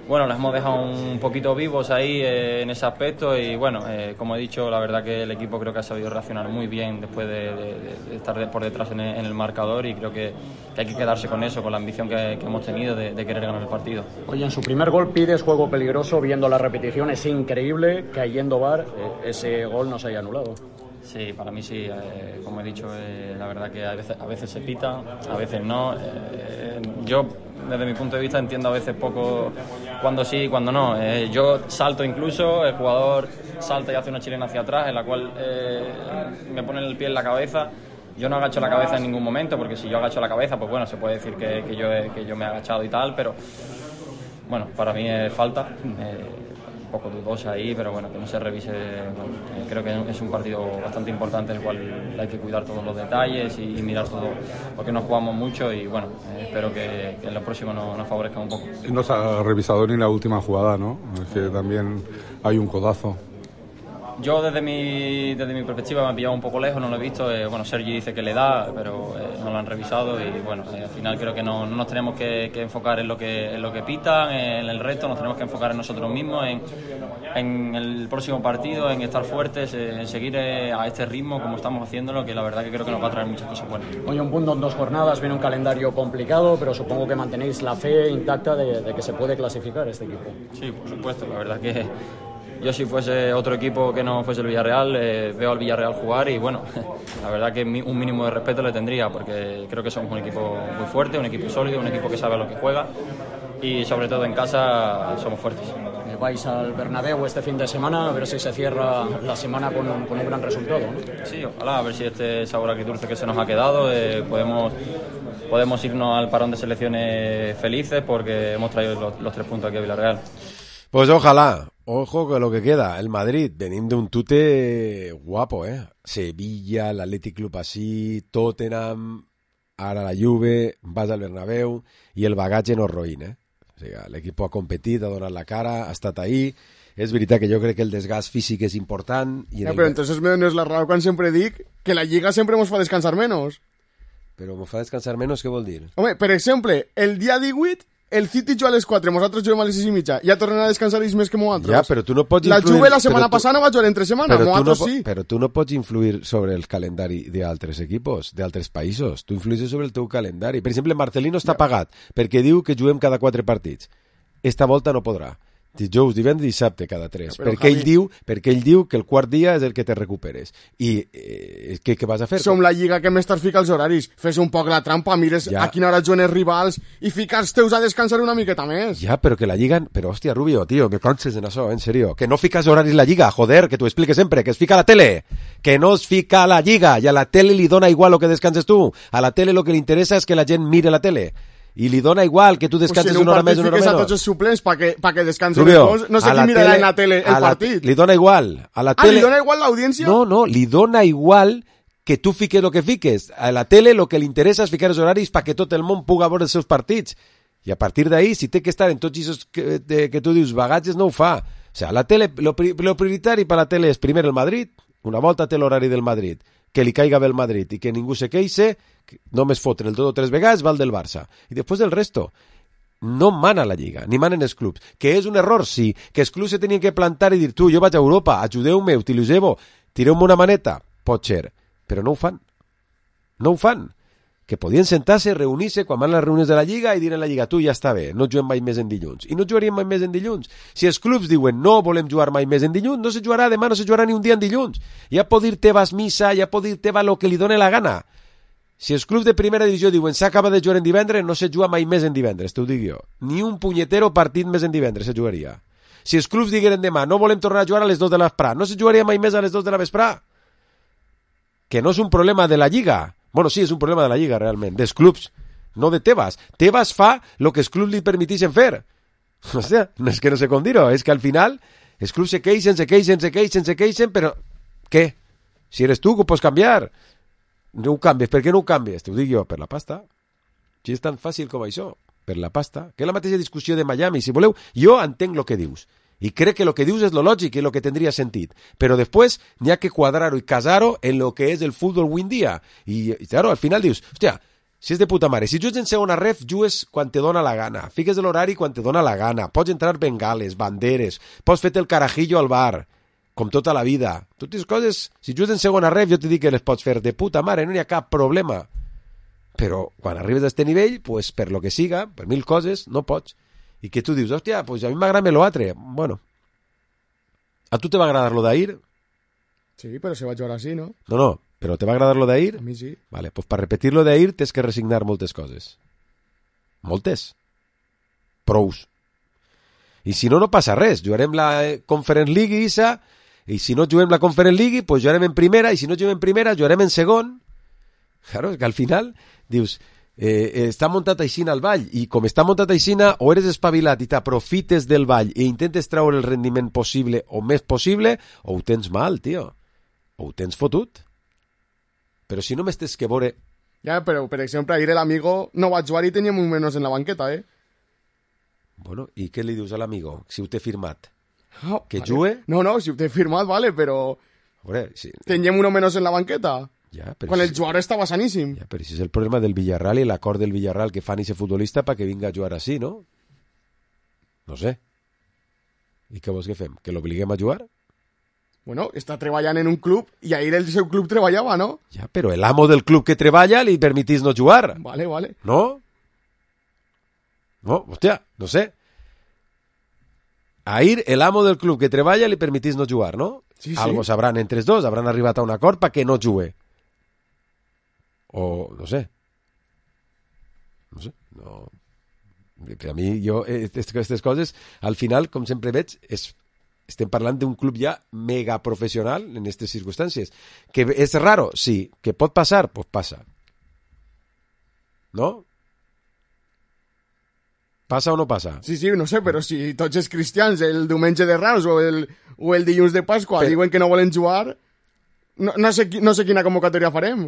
bueno, los hemos dejado un poquito vivos ahí eh, en ese aspecto y bueno, eh, como he dicho, la verdad que el equipo creo que ha sabido reaccionar muy bien después de, de, de estar de, por detrás en el, en el marcador y creo que, que hay que quedarse con eso, con la ambición que, que hemos tenido de, de querer ganar el partido. Oye, en su primer gol pides juego peligroso, viendo la repetición es increíble que yendo V A R eh, ese gol no se haya anulado. Sí, para mí sí, eh, como he dicho, eh, la verdad que a veces, a veces se pita, a veces no. Eh, yo, desde mi punto de vista, entiendo a veces poco cuando sí y cuando no. Eh, yo salto incluso, el jugador salta y hace una chilena hacia atrás, en la cual eh, me pone el pie en la cabeza. Yo no agacho la cabeza en ningún momento, porque si yo agacho la cabeza, pues bueno, se puede decir que, que, yo, he, que yo me he agachado y tal, pero bueno, para mí es falta. Eh, un poco dudosa ahí, pero bueno, que no se revise. Bueno, eh, creo que es un partido bastante importante en el cual hay que cuidar todos los detalles y, y mirar todo, porque nos jugamos mucho y bueno, eh, espero que, que en lo próximo nos, nos favorezca un poco. No se ha revisado ni la última jugada, ¿no? Es que también hay un codazo. Yo desde mi, desde mi perspectiva me ha pillado un poco lejos, no lo he visto. Eh, bueno, Sergi dice que le da, pero eh, no lo han revisado y bueno, eh, al final creo que no, no nos tenemos que, que enfocar en lo que, en lo que pitan, en el resto, nos tenemos que enfocar en nosotros mismos, en, en el próximo partido, en estar fuertes, en seguir eh, a este ritmo como estamos haciéndolo, que la verdad que creo que nos va a traer muchas cosas buenas. Hoy un punto en dos jornadas, viene un calendario complicado, pero supongo que mantenéis la fe intacta de, de que se puede clasificar este equipo. Sí, por supuesto, la verdad que yo si fuese otro equipo que no fuese el Villarreal, eh, veo al Villarreal jugar y bueno, la verdad que un mínimo de respeto le tendría, porque creo que somos un equipo muy fuerte, un equipo sólido, un equipo que sabe a lo que juega y sobre todo en casa somos fuertes. Vais al Bernabéu este fin de semana, a ver si se cierra la semana con un, con un gran resultado, ¿no? Sí, ojalá, a ver si este sabor agridulce que se nos ha quedado, eh, podemos, podemos irnos al parón de selecciones felices porque hemos traído los, los tres puntos aquí a Villarreal. Pues ojalá, ojo con lo que queda, el Madrid, venim d'un tute guapo, eh? Sevilla, l'Atlètic Club així, Tottenham, ara la Juve, vas al Bernabéu, i el bagatge no es roïn, eh? O sigui, l'equip ha competit, ha donat la cara, ha estat ahí. És veritat que jo crec que el desgast físic és important. I no, el... però entonces me dones la raó quan sempre dic que la Lliga sempre ens fa descansar menos. Però me fa descansar menos, què vol dir? Home, per exemple, el dia divuit el City juga a les quatre, nosaltres juguem a les sis i mitja. Ja tornen a descansar ells més que nosaltres. Ja, però tu no pots la influir... Juve la setmana tu... passada no va jugar entre setmana, nosaltres no sí. Però tu no pots influir sobre el calendari d'altres equipos, d'altres països. Tu influïs sobre el teu calendari. Per exemple, Marcelino està ja. pagat perquè diu que juguem cada quatre partits. Esta volta no podrà. Dijous, divendres i dissabte cada tres. Ja, perquè, Javi... ell diu, perquè ell diu que el quart dia és el que te recuperes. I eh, què, què vas a fer? Som la lliga que més t'has ficat els horaris. Fes un poc la trampa, mires ja. a quina hora juguen els rivals i fica els teus a descansar una miqueta més. Ja, però que la lliga... Però, hòstia, Rubio, tio, me canses en això, en serio. Que no ficas horaris la lliga, joder, que t'ho explique sempre, que es fica a la tele. Que no es fica a la lliga i a la tele li dona igual lo que descanses tu. A la tele lo que li interessa és que la gent mire la tele. I li dona igual que tu descanses pues si una hora més o una hora menys. Si en un partit fiques a tots els suplents pa que, pa que descansen Rubio, els dos, no sé qui mirarà en la tele el la, partit. Li dona igual. A la ah, tele... li dona igual l'audiència? No, no, li dona igual que tu fiques lo que fiques. A la tele lo que li interessa és ficar els horaris pa que tot el món puga veure els seus partits. I a partir d'ahí, si té que estar en tots aquests que, de, que tu dius bagatges, no ho fa. O sea, la tele, lo, lo prioritari per la tele és primer el Madrid, una volta té l'horari del Madrid, que li caiga bé el Madrid i que ningú se queixe, només foten el dos o tres vegades, va el del Barça. I després del resto. No mana la Lliga, ni manen els clubs. Que és un error, sí. Que els clubs se tenien que plantar i dir, tu, jo vaig a Europa, ajudeu-me, utilitzeu-me, tireu-me una maneta. Pot ser, però no ho fan. No ho fan. Que podien sentar-se, reunir-se, quan van les reunions de la Lliga i dir a la Lliga, tu, ja està bé, no juguem mai més en dilluns. I no jugaríem mai més en dilluns. Si els clubs diuen, no volem jugar mai més en dilluns, no se jugarà demà, no se jugarà ni un dia en dilluns. Ja pot dir tevas missa, ja pot dir teva lo que li doni la gana. Si els clubs de primera divisió diuen s'acaba de jugar en divendres, no se juga mai més en divendres, t'ho dic jo. Ni un punyetero partit més en divendres se jugaria. Si els clubs digueren demà no volem tornar a jugar a les dos de la vesprà, no se jugaria mai més a les dos de la vesprà. Que no és un problema de la Lliga. Bueno, sí, és un problema de la Lliga, realment, dels clubs, no de Tebas. Tebas fa el que els clubs li permetixen fer. O sigui, no és que no sé com dir-ho, és que al final els clubs se queixen, se queixen, se queixen, se queixen, però què? Si eres tu, que ho pots canviar. No ho canvies. Per què no ho canvies? T'ho dic jo, per la pasta. Si és tan fàcil com això, per la pasta. Que és la mateixa discussió de Miami. Si voleu, jo entenc el que dius. I crec que el que dius és lo lògic i el que tindria sentit. Però després n'hi ha que quadrar-ho i casar-ho en el que és el futbol avui en dia. I, i claro, al final dius, hòstia, Si és de puta mare. Si jugues en segona ref, jugues quan te dona la gana. Fiques l'horari quan te dona la gana. Pots entrar bengales, banderes, pots fer-te el carajillo al bar, com tota la vida. Totes coses, si jugues en segona ref, jo te dic que les pots fer de puta mare, no hi ha cap problema. Però quan arribes a este nivell, pues, per lo que siga, per mil coses, no pots. I que tu dius, hòstia, pues a mi m'agrada lo altre. Bueno. A tu te va agradar lo d'ahir? Sí, però se va jugar així, no? No, no. ¿Pero te va a agradar lo de ir? A mí sí. Vale, pues para repetir lo de ir tens que resignar moltes coses. Moltes. Prous. I si no, no passa res. Jugarem la Conference League, Isa, i si no juguem la Conference League, pues jugarem en primera, i si no juguem en primera, jugarem en segon. Claro, és que al final, dius, eh, està muntat aixina al ball, i com està muntat aixina, o eres espavilat i t'aprofites del ball i intentes treure el rendiment possible o més possible, o ho tens mal, tio. O ho tens fotut. Però si no m'estés que veure... Ja, però, per exemple, ahir l'amigo no va jugar i teníem un menys en la banqueta, eh? Bueno, i què li dius a l'amigo? Si ho té firmat? Oh, que vale. jugue? No, no, si ho té firmat, vale, però... Veure, si... teníem uno menys en la banqueta. Ja, però quan si... el jugador estava saníssim. Ja, però si és el problema del Villarreal i l'acord del Villarreal que fan ese futbolista para que vinga a jugar així, no? No sé. I què vols que fem? Que l'obliguem a jugar? Bueno, està treballant en un club i ahir el seu club treballava, no? Ja, però el amo del club que treballa li permitís no jugar. Vale, vale. ¿No? No, hòstia, no sé. Ahir el amo del club que treballa li permitís no jugar, ¿no? Sí, sí. Algo sabran entre els dos, hauran arribat a un acord para que no jugue. O, no sé. No sé, no... A mi, jo, aquestes coses, al final, com sempre veig, és... estem parlant d'un club ja mega professional en aquestes circumstàncies. Que és raro? Sí. Que pot passar? Pues passa. No? Passa o no passa? Sí, sí, no sé, però si tots els cristians el diumenge de Rams o el, o el dilluns de Pasqua però... diuen que no volen jugar, no, no, sé, no sé quina convocatòria farem.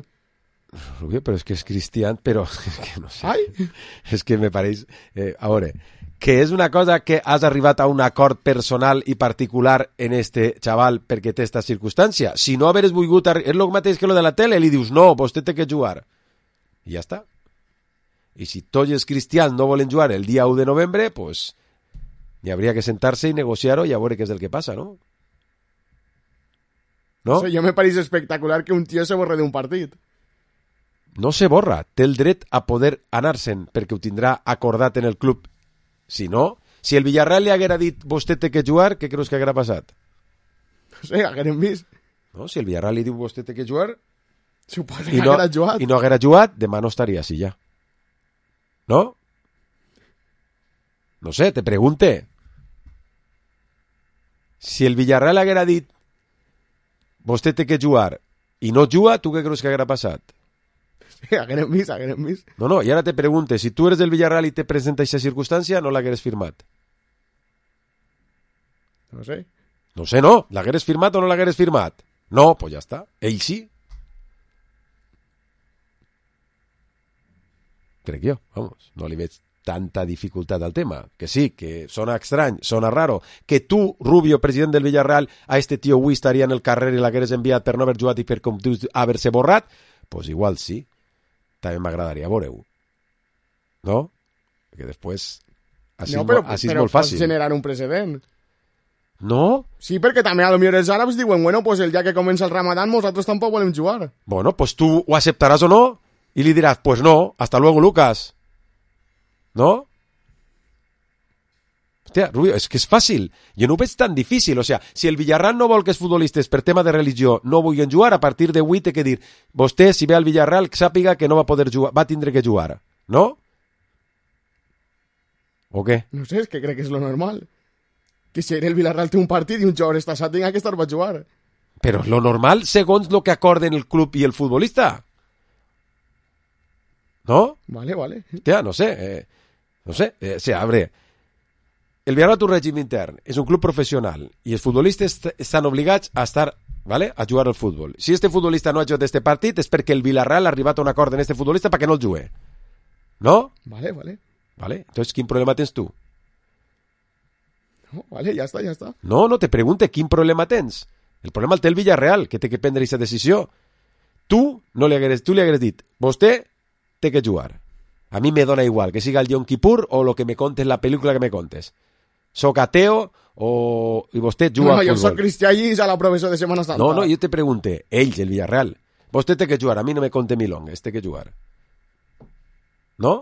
Rubio, però és que és cristià, però és que no sé. Ai. És que me pareix... Eh, a veure... que és una cosa que has arribat a un acord personal i particular en este xaval perquè té esta circumstància. Si no haveres volgut... És el mateix que lo de la tele, li dius, no, vostè té que jugar. I ja està. I si tots els cristians no volen jugar el dia u de novembre, pues hi hauria que sentar-se i negociar-ho i a veure què és el que passa, no? No? O sigui, jo me pareix espectacular que un tio se borre d'un partit. No se borra. Té el dret a poder anar-se'n perquè ho tindrà acordat en el club. Si no, si el Villarreal li haguera dit vostè té que jugar, què creus que haguera passat? No sé, haguérem vist. No, si el Villarreal li diu vostè té que jugar suposo i que no, haguera jugat. i no haguera jugat, demà no estaria així ja. No? No sé, te pregunte. Si el Villarreal haguera dit vostè té que jugar i no juga, tu què creus que haguera passat? Sí, haguérem vist, haguérem vist. No, no, i ara te pregunte, si tu eres del Villarreal i te presenta aquesta circumstància, no l'hagueres firmat? No sé. No sé, no. L'hagueres firmat o no l'hagueres firmat? No, pues ja està. Ell sí. Crec jo, vamos, no li veig tanta dificultat al tema. Que sí, que sona estrany, sona raro. Que tu, Rubio, president del Villarreal, a este tio avui estaria en el carrer i l'hagueres enviat per no haver jugat i per, com tu, haver-se borrat, pues igual sí. També m'agradaria veure-ho. No? Perquè després... Així, no, però, així és però molt fàcil. pots generar un precedent. No? Sí, perquè també a lo millor els àrabs diuen, bueno, pues el dia que comença el Ramadán nosaltres tampoc volem jugar. Bueno, pues tu ho acceptaràs o no i li diràs, pues no, hasta luego, Lucas. ¿No? Hòstia, Rubio, és que és fàcil. Jo no ho veig tan difícil. O sea, si el Villarreal no vol que els futbolistes per tema de religió no vulguin jugar, a partir d'avui té que dir vostè, si ve al Villarreal, sàpiga que no va poder jugar, va tindre que jugar. No? O què? No sé, és que crec que és lo normal. Que si el Villarreal té un partit i un jugador està assat, tinga que estar per jugar. Però lo normal segons lo que acorden el club i el futbolista. ¿No? Vale, vale. Hòstia, no sé. Eh, no sé. Eh, o sea, abre... El Villarreal té un règim intern, és un club professional i els futbolistes estan obligats a estar, ¿vale?, a jugar al futbol. Si este futbolista no ha jugat este partit és perquè el Villarreal ha arribat a un acord en este futbolista perquè no el jugue. ¿No? Vale, vale. Vale. Entonces, ¿quin problema tens tu? No, vale, ja està, ja està. No, no, te pregunte quin problema tens. El problema el té el Villarreal, que té que prendre aquesta decisió. Tu no li hagueres, tu li hagueres dit, vostè té que jugar. A mi me dona igual que siga el Yom Kippur o lo que me contes, la pel·lícula que me contes. Soc ateo o... i vostè juga no, a futbol. Jo soc cristià i a la professor de Setmana Santa. No, no, jo te pregunte, ells, el Villarreal, vostè té que jugar, a mi no me conte milongues, té que jugar. No?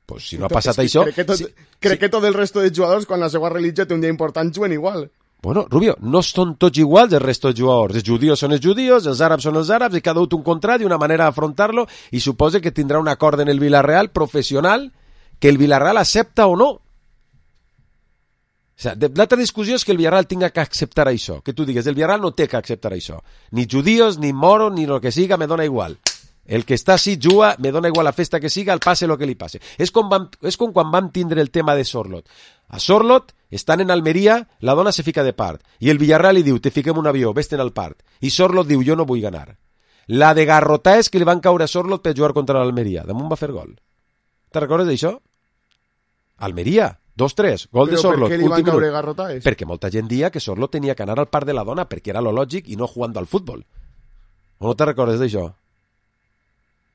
Pues si no ha passat que això... Crec que, tot, si, crec si... que tot el resto de jugadors, quan la seva religió té un dia important, juguen igual. Bueno, Rubio, no són tots iguals el resto de jugadors. Els judíos són els judíos, els àrabs són els àrabs, i cada un té un contrat i una manera d'afrontar-lo, i suposa que tindrà un acord en el Villarreal professional que el Villarreal accepta o no. O sigui, l'altra discussió és que el Villarreal tinga que acceptar això, que tu digues, el Villarreal no té que acceptar això. Ni judíos, ni moros, ni el que siga, me dona igual. El que està així juga, me dona igual la festa que siga, el passe el que li passe. És com, vam, és com quan vam tindre el tema de Sorlot. A Sorlot, estan en Almeria, la dona se fica de part, i el Villarreal li diu, te fiquem un avió, vés-te'n al part. I Sorlot diu, jo no vull ganar. La de garrotar és que li van caure a Sorlot per jugar contra l'Almeria. Damunt va fer gol. Te'n recordes d'això? Almeria, dos tres, gol Però de Sorlot. per què li van caure garrotaes? Perquè molta gent dia que Sorlot tenia que anar al parc de la dona perquè era lo lògic i no jugando al futbol. O no te recordes d'això?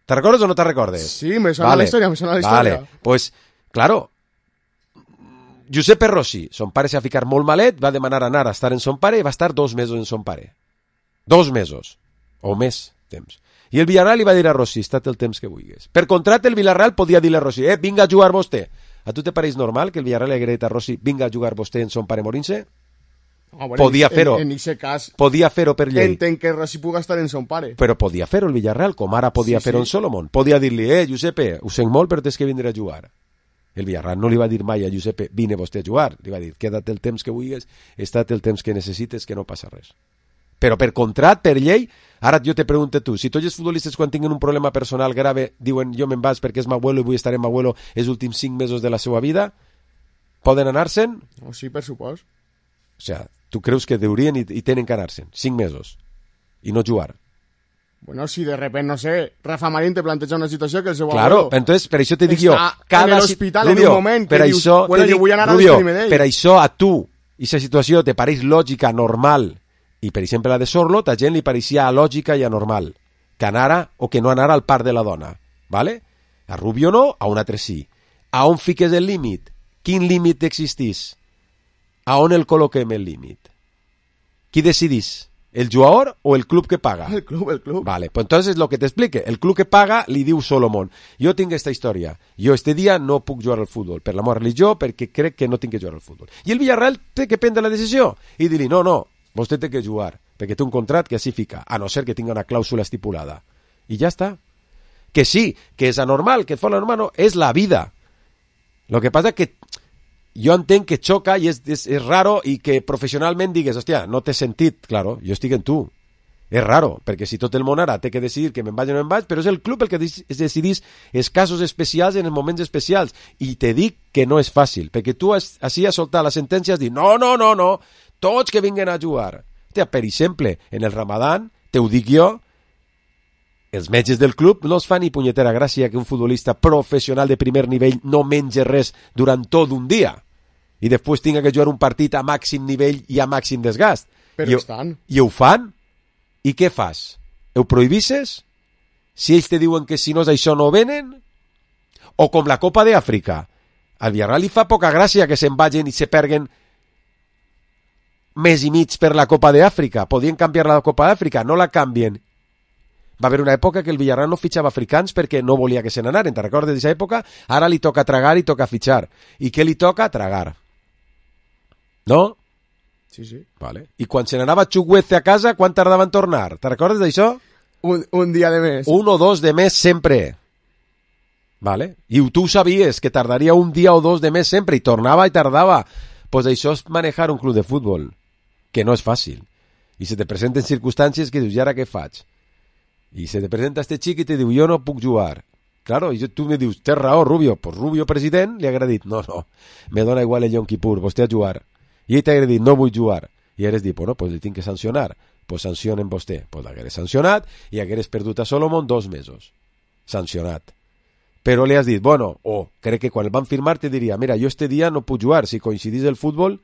¿Te recordes o no te recordes? Sí, me suena vale. la historia, me suena la historia. Vale, pues, claro, Giuseppe Rossi, son pare s'ha ficat molt malet, va demanar anar a estar en son pare i va estar dos mesos en son pare. Dos mesos, o més temps. I el Villarreal li va dir a Rossi, estat el temps que vulguis. Per contrat, el Villarreal podia dir a Rossi, eh, vinga a jugar vostè. A tu te pareix normal que el Villarreal li hagués dit a Rossi, vinga a jugar vostè en son pare morint-se? Ah, bueno, podia fer-ho. En aquest cas, podia fer-ho per llei. Entenc que Rossi puga estar en son pare. Però podia fer-ho el Villarreal, com ara podia sí, fer-ho sí. en Solomon. Podia dir-li, eh, Giuseppe, ho sent molt, però tens que vindre a jugar. El Villarreal no li va dir mai a Giuseppe, vine vostè a jugar. Li va dir, queda't el temps que vulguis, estat el temps que necessites, que no passa res. Però per contrat, per llei, ara jo te pregunto tu, si tots els futbolistes quan tinguin un problema personal grave diuen jo me'n vaig perquè és m'abuelo i vull estar amb m'abuelo els últims cinc mesos de la seva vida, poden anar-se'n? Oh, sí, per supost. O sea, tu creus que deurien i, i tenen que anar-se'n cinc mesos i no jugar? Bueno, si de repente, no sé, Rafa Marín te planteja una situació que el seu claro, abuelo entonces, per això te dic jo, cada en l'hospital en un moment per que això, dius, bueno, dic, jo vull anar Rubio, a despedir-me d'ell. Per això a tu, aquesta situació te pareix lògica, normal, i per exemple la de Sorlot, a gent li pareixia lògica i anormal, que anara o que no anara al parc de la dona, ¿vale? A Rubio no, a un altre sí. A on fiques el límit? Quin límit existís? A on el col·loquem el límit? Qui decidís? ¿El jugador o el club que paga? El club, el club. Vale, pues entonces lo que te explique. El club que paga li diu Solomon, jo tinc esta història, jo este dia no puc jugar al futbol, per la meva religió, perquè crec que no tinc que jugar al futbol. I el Villarreal té que prendre la decisió i dir-li, no, no, vostè té que jugar, perquè té un contrat que així fica, a no ser que tinga una clàusula estipulada. I ja està. Que sí, que és anormal, que fora normal, no, és la vida. Lo que passa que jo entenc que xoca i és, és, és raro i que professionalment digues, hòstia, no té sentit, claro, jo estic en tu. És raro, perquè si tot el món ara té que decidir que me'n vaig o no me'n vaig, però és el club el que es decidís els casos especials en els moments especials. I te dic que no és fàcil, perquè tu has, així has soltat la sentència, has dit, no, no, no, no, tots que vinguen a jugar. Hòstia, per exemple, en el Ramadán, te ho dic jo, els metges del club no es fa ni punyetera gràcia que un futbolista professional de primer nivell no mengi res durant tot un dia i després tinga que jugar un partit a màxim nivell i a màxim desgast. Però I, estan. I ho fan? I què fas? Ho prohibisses? Si ells te diuen que si no és això no venen? O com la Copa d'Àfrica. Al Villarreal li fa poca gràcia que se'n vagin i se perguen mes i mig per la Copa d'Àfrica. Podien canviar la Copa d'Àfrica, no la canvien. Va haver una època que el Villarreal no fitxava africans perquè no volia que se n'anaren. Te'n recordes d'aquesta època? Ara li toca tragar i toca fitxar. I què li toca? Tragar. No? Sí, sí. Vale. I quan se n'anava Chukwueze a casa, quan tardava en tornar? Te'n recordes d'això? Un, un dia de mes. Un o dos de mes sempre. Vale? I tu ho sabies, que tardaria un dia o dos de mes sempre, i tornava i tardava. Pues això és manejar un club de futbol, que no és fàcil. I se te presenten circumstàncies que dius, i ara què faig? I se te presenta este xic i te diu, jo no puc jugar. Claro, i tu me dius, tens raó, Rubio. Pues Rubio, president, li ha dit, no, no, me dona igual el Yom Kippur, vostè a jugar. I ell t'ha dit, no vull jugar. I hagués dit, bueno, pues li tinc que sancionar. Pues sancionen vostè. Pues l'hagués sancionat i hagués perdut a Solomon dos mesos. Sancionat. Però li has dit, bueno, o oh, crec que quan el van firmar te diria, mira, jo este dia no puc jugar, si coincidís el futbol,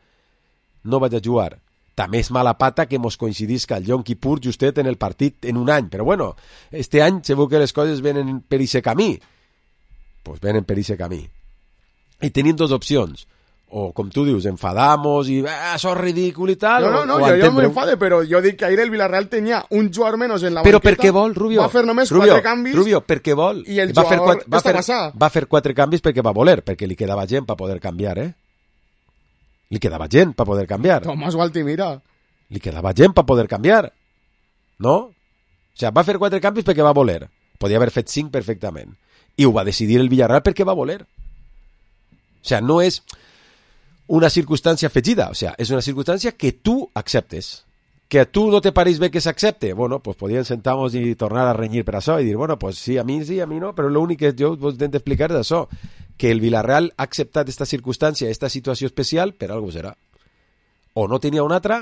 no vaig a jugar. També és mala pata que mos coincidisca el Yom Kippur justet en el partit en un any, però bueno, este any segur que les coses venen per ese camí. Pues venen per ese camí. I tenim dos opcions. O, com tu dius, enfadamos i ah, això és ridícul i tal. No, no, no, o, o jo, jo m'enfade, però jo dic que ahir el Villarreal tenia un jugador menys en la però banqueta. Però per què vol, Rubio? Va fer només Rubio, quatre canvis. Rubio, per què vol? I el va jugador fer quatre, va, fer, passar. va fer quatre canvis perquè va voler, perquè li quedava gent per poder canviar, eh? Li quedava gent per poder canviar. Tomàs Gualtimira. Li quedava gent per poder canviar. No? O sigui, va fer quatre canvis perquè va voler. Podia haver fet cinc perfectament. I ho va decidir el Villarreal perquè va voler. O sigui, no és una circumstància afegida, o sea, és una circumstància que tu acceptes. Que a tu no te pareix bé que s'accepte, bueno, pues podríem sentar-nos i tornar a renyir per això i dir, bueno, pues sí, a mi sí, a mi no, però l'únic que jo vos intento explicar és això, que el Villarreal ha acceptat esta circumstància, esta situació especial, per algo serà. O no tenia una altra,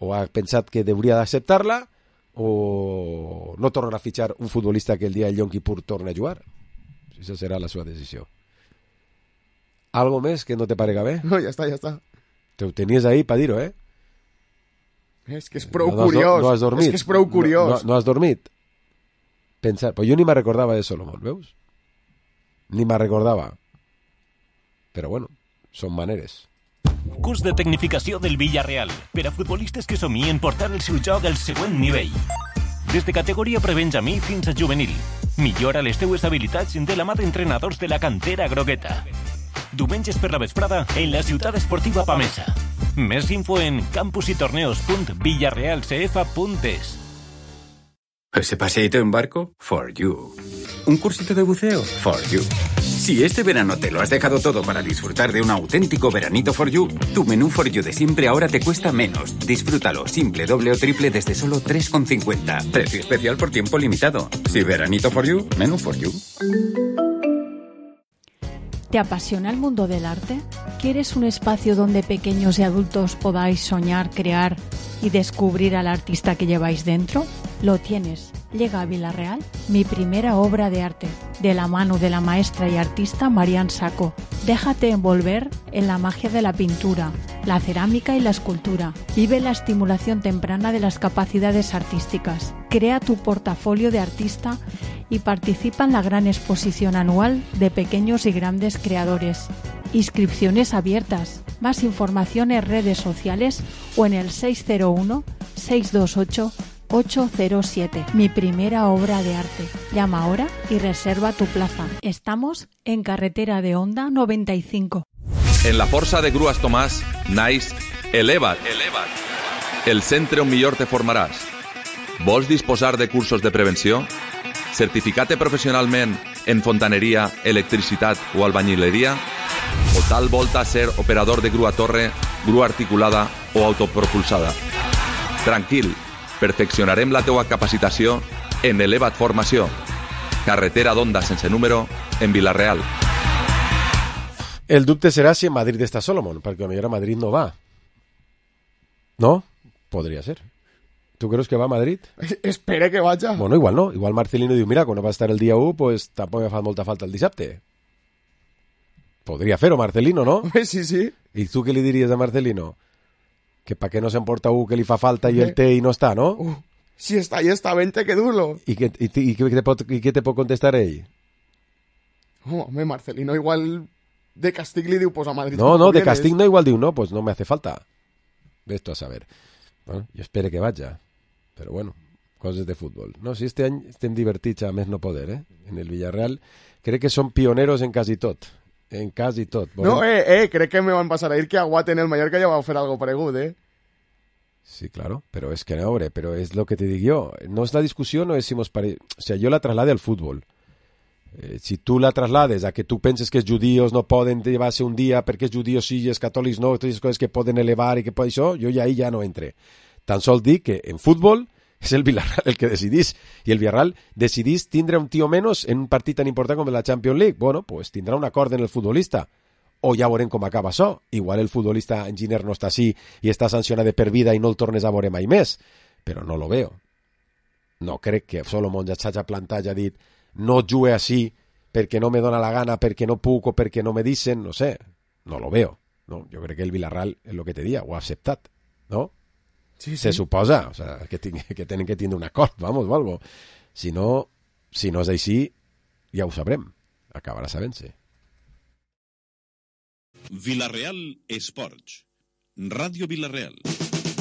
o ha pensat que hauria d'acceptar-la, o no torna a fitxar un futbolista que el dia del Yom Kippur torna a jugar. Això serà la seva decisió. ¿Algo més que no te parega bé? No, ja està, ja està. Te ho tenies ahí per dir-ho, eh? És que és prou no, no curiós. No has dormit. És que és prou curiós. No, no, no has dormit. Pensar, pues jo ni me recordava de Solomon, veus? Ni me recordava. Però bueno, són maneres. Curs de tecnificació del Villarreal per a futbolistes que somien portar el seu joc al següent nivell. Des de categoria prebenjamí fins a juvenil. Millora les teues habilitats de la mà d'entrenadors de la cantera grogueta. Diumenges per la vesprada en la ciutat esportiva Pamesa. Més info en campusytorneos punt villarrealcf punt es. ¿Ese paseíto en barco? For you. ¿Un cursito de buceo? For you. Si este verano te lo has dejado todo para disfrutar de un auténtico veranito For you, tu menú For you de siempre ahora te cuesta menos. Disfrútalo simple, doble o triple desde solo tres con cincuenta. Precio especial por tiempo limitado. Si veranito For you, menú For you. ¿Te apasiona el mundo del arte? ¿Quieres un espacio donde pequeños y adultos podáis soñar, crear y descubrir al artista que lleváis dentro? Lo tienes. Llega a Villarreal mi primera obra de arte, de la mano de la maestra y artista Marian Sacco. Déjate envolver en la magia de la pintura, la cerámica y la escultura. Vive la estimulación temprana de las capacidades artísticas. Crea tu portafolio de artista y participa en la gran exposición anual de pequeños y grandes creadores. Inscripciones abiertas. Más información en redes sociales o en el seis cero uno, seis dos ocho, ocho cero siete. Mi primera obra de arte. Llama ahora y reserva tu plaza. Estamos en carretera de Honda noventa y cinco. En la Força de Grues Tomàs naix Eleva't, el centre on millor te formaràs. Vols disposar de cursos de prevenció? Certificat professionalment en fontaneria, electricitat o albañileria? O tal volta ser operador de grua torre, grua articulada o autopropulsada? Tranquil, perfeccionarem la teua capacitació en Eleva't Formació. Carretera d'Onda sense número en Vila-real. El dubte serà si en Madrid està Solomon, perquè potser a Madrid no va. No? Podria ser. ¿Tú crees que va a Madrid? Espere que vaya. Bueno, igual no. Igual Marcelino diu, mira, quan no va estar el dia u, pues tampoc me fa molta falta el dissabte. Podria fer-ho, Marcelino, no? Sí, sí. I tu què li diries a Marcelino? Que pa què no s'emporta u que li fa falta i el té i no està, no? Uh, si està i està, vente que dur-lo. I, que, i, i, què te pot, I què te pot contestar ell? Oh, home, Marcelino igual de castig li diu, pues a Madrid. No, no, de castig no, igual diu, no, pues no me hace falta. Ves tu a saber. Bueno, jo espero que vaja. Però bueno, coses de futbol. No, si este any estem divertits a més no poder, eh? En el Villarreal crec que són pioneros en quasi tot. En quasi tot. No, eh, eh, crec que me van pasar a ir que Aguat en el Mallorca ja va fer algo paregut, eh? Sí, claro, pero es que no, hombre, pero es lo que te digo yo. No es la discusión, no decimos... Pare... O sea, yo la traslade al fútbol. Eh, si tú la traslades a que tú penses que els judíos no poden llevar-se un dia perquè els judíos sí i els catòlics no, totes les coses que poden elevar i que poden això, jo ja ahí ja no entre. Tan sol dic que en fútbol és el Villarreal el que decidís, i el Villarreal decidís tindre un tio menos en un partit tan important com la Champions League. Bueno, pues tindrà un acord en el futbolista. O ja veurem com acaba això. Igual el futbolista enginyer no està així i està sancionat de per vida i no el tornes a veure mai més. Però no lo veo. No crec que Solomon ja s'hagi plantat i ha dit no jugue així perquè no me dona la gana, perquè no puc o perquè no me dicen, no sé. No lo veo. No, jo crec que el Villarreal és el que te dia, ho ha acceptat, no? Sí, sí. Se suposa, o sea, que, ting que tenen que tindre un acord, vamos, o algo. Si no, si no és així, ja ho sabrem. Acabarà sabent-se. Vilareal Esports. Ràdio Vilareal.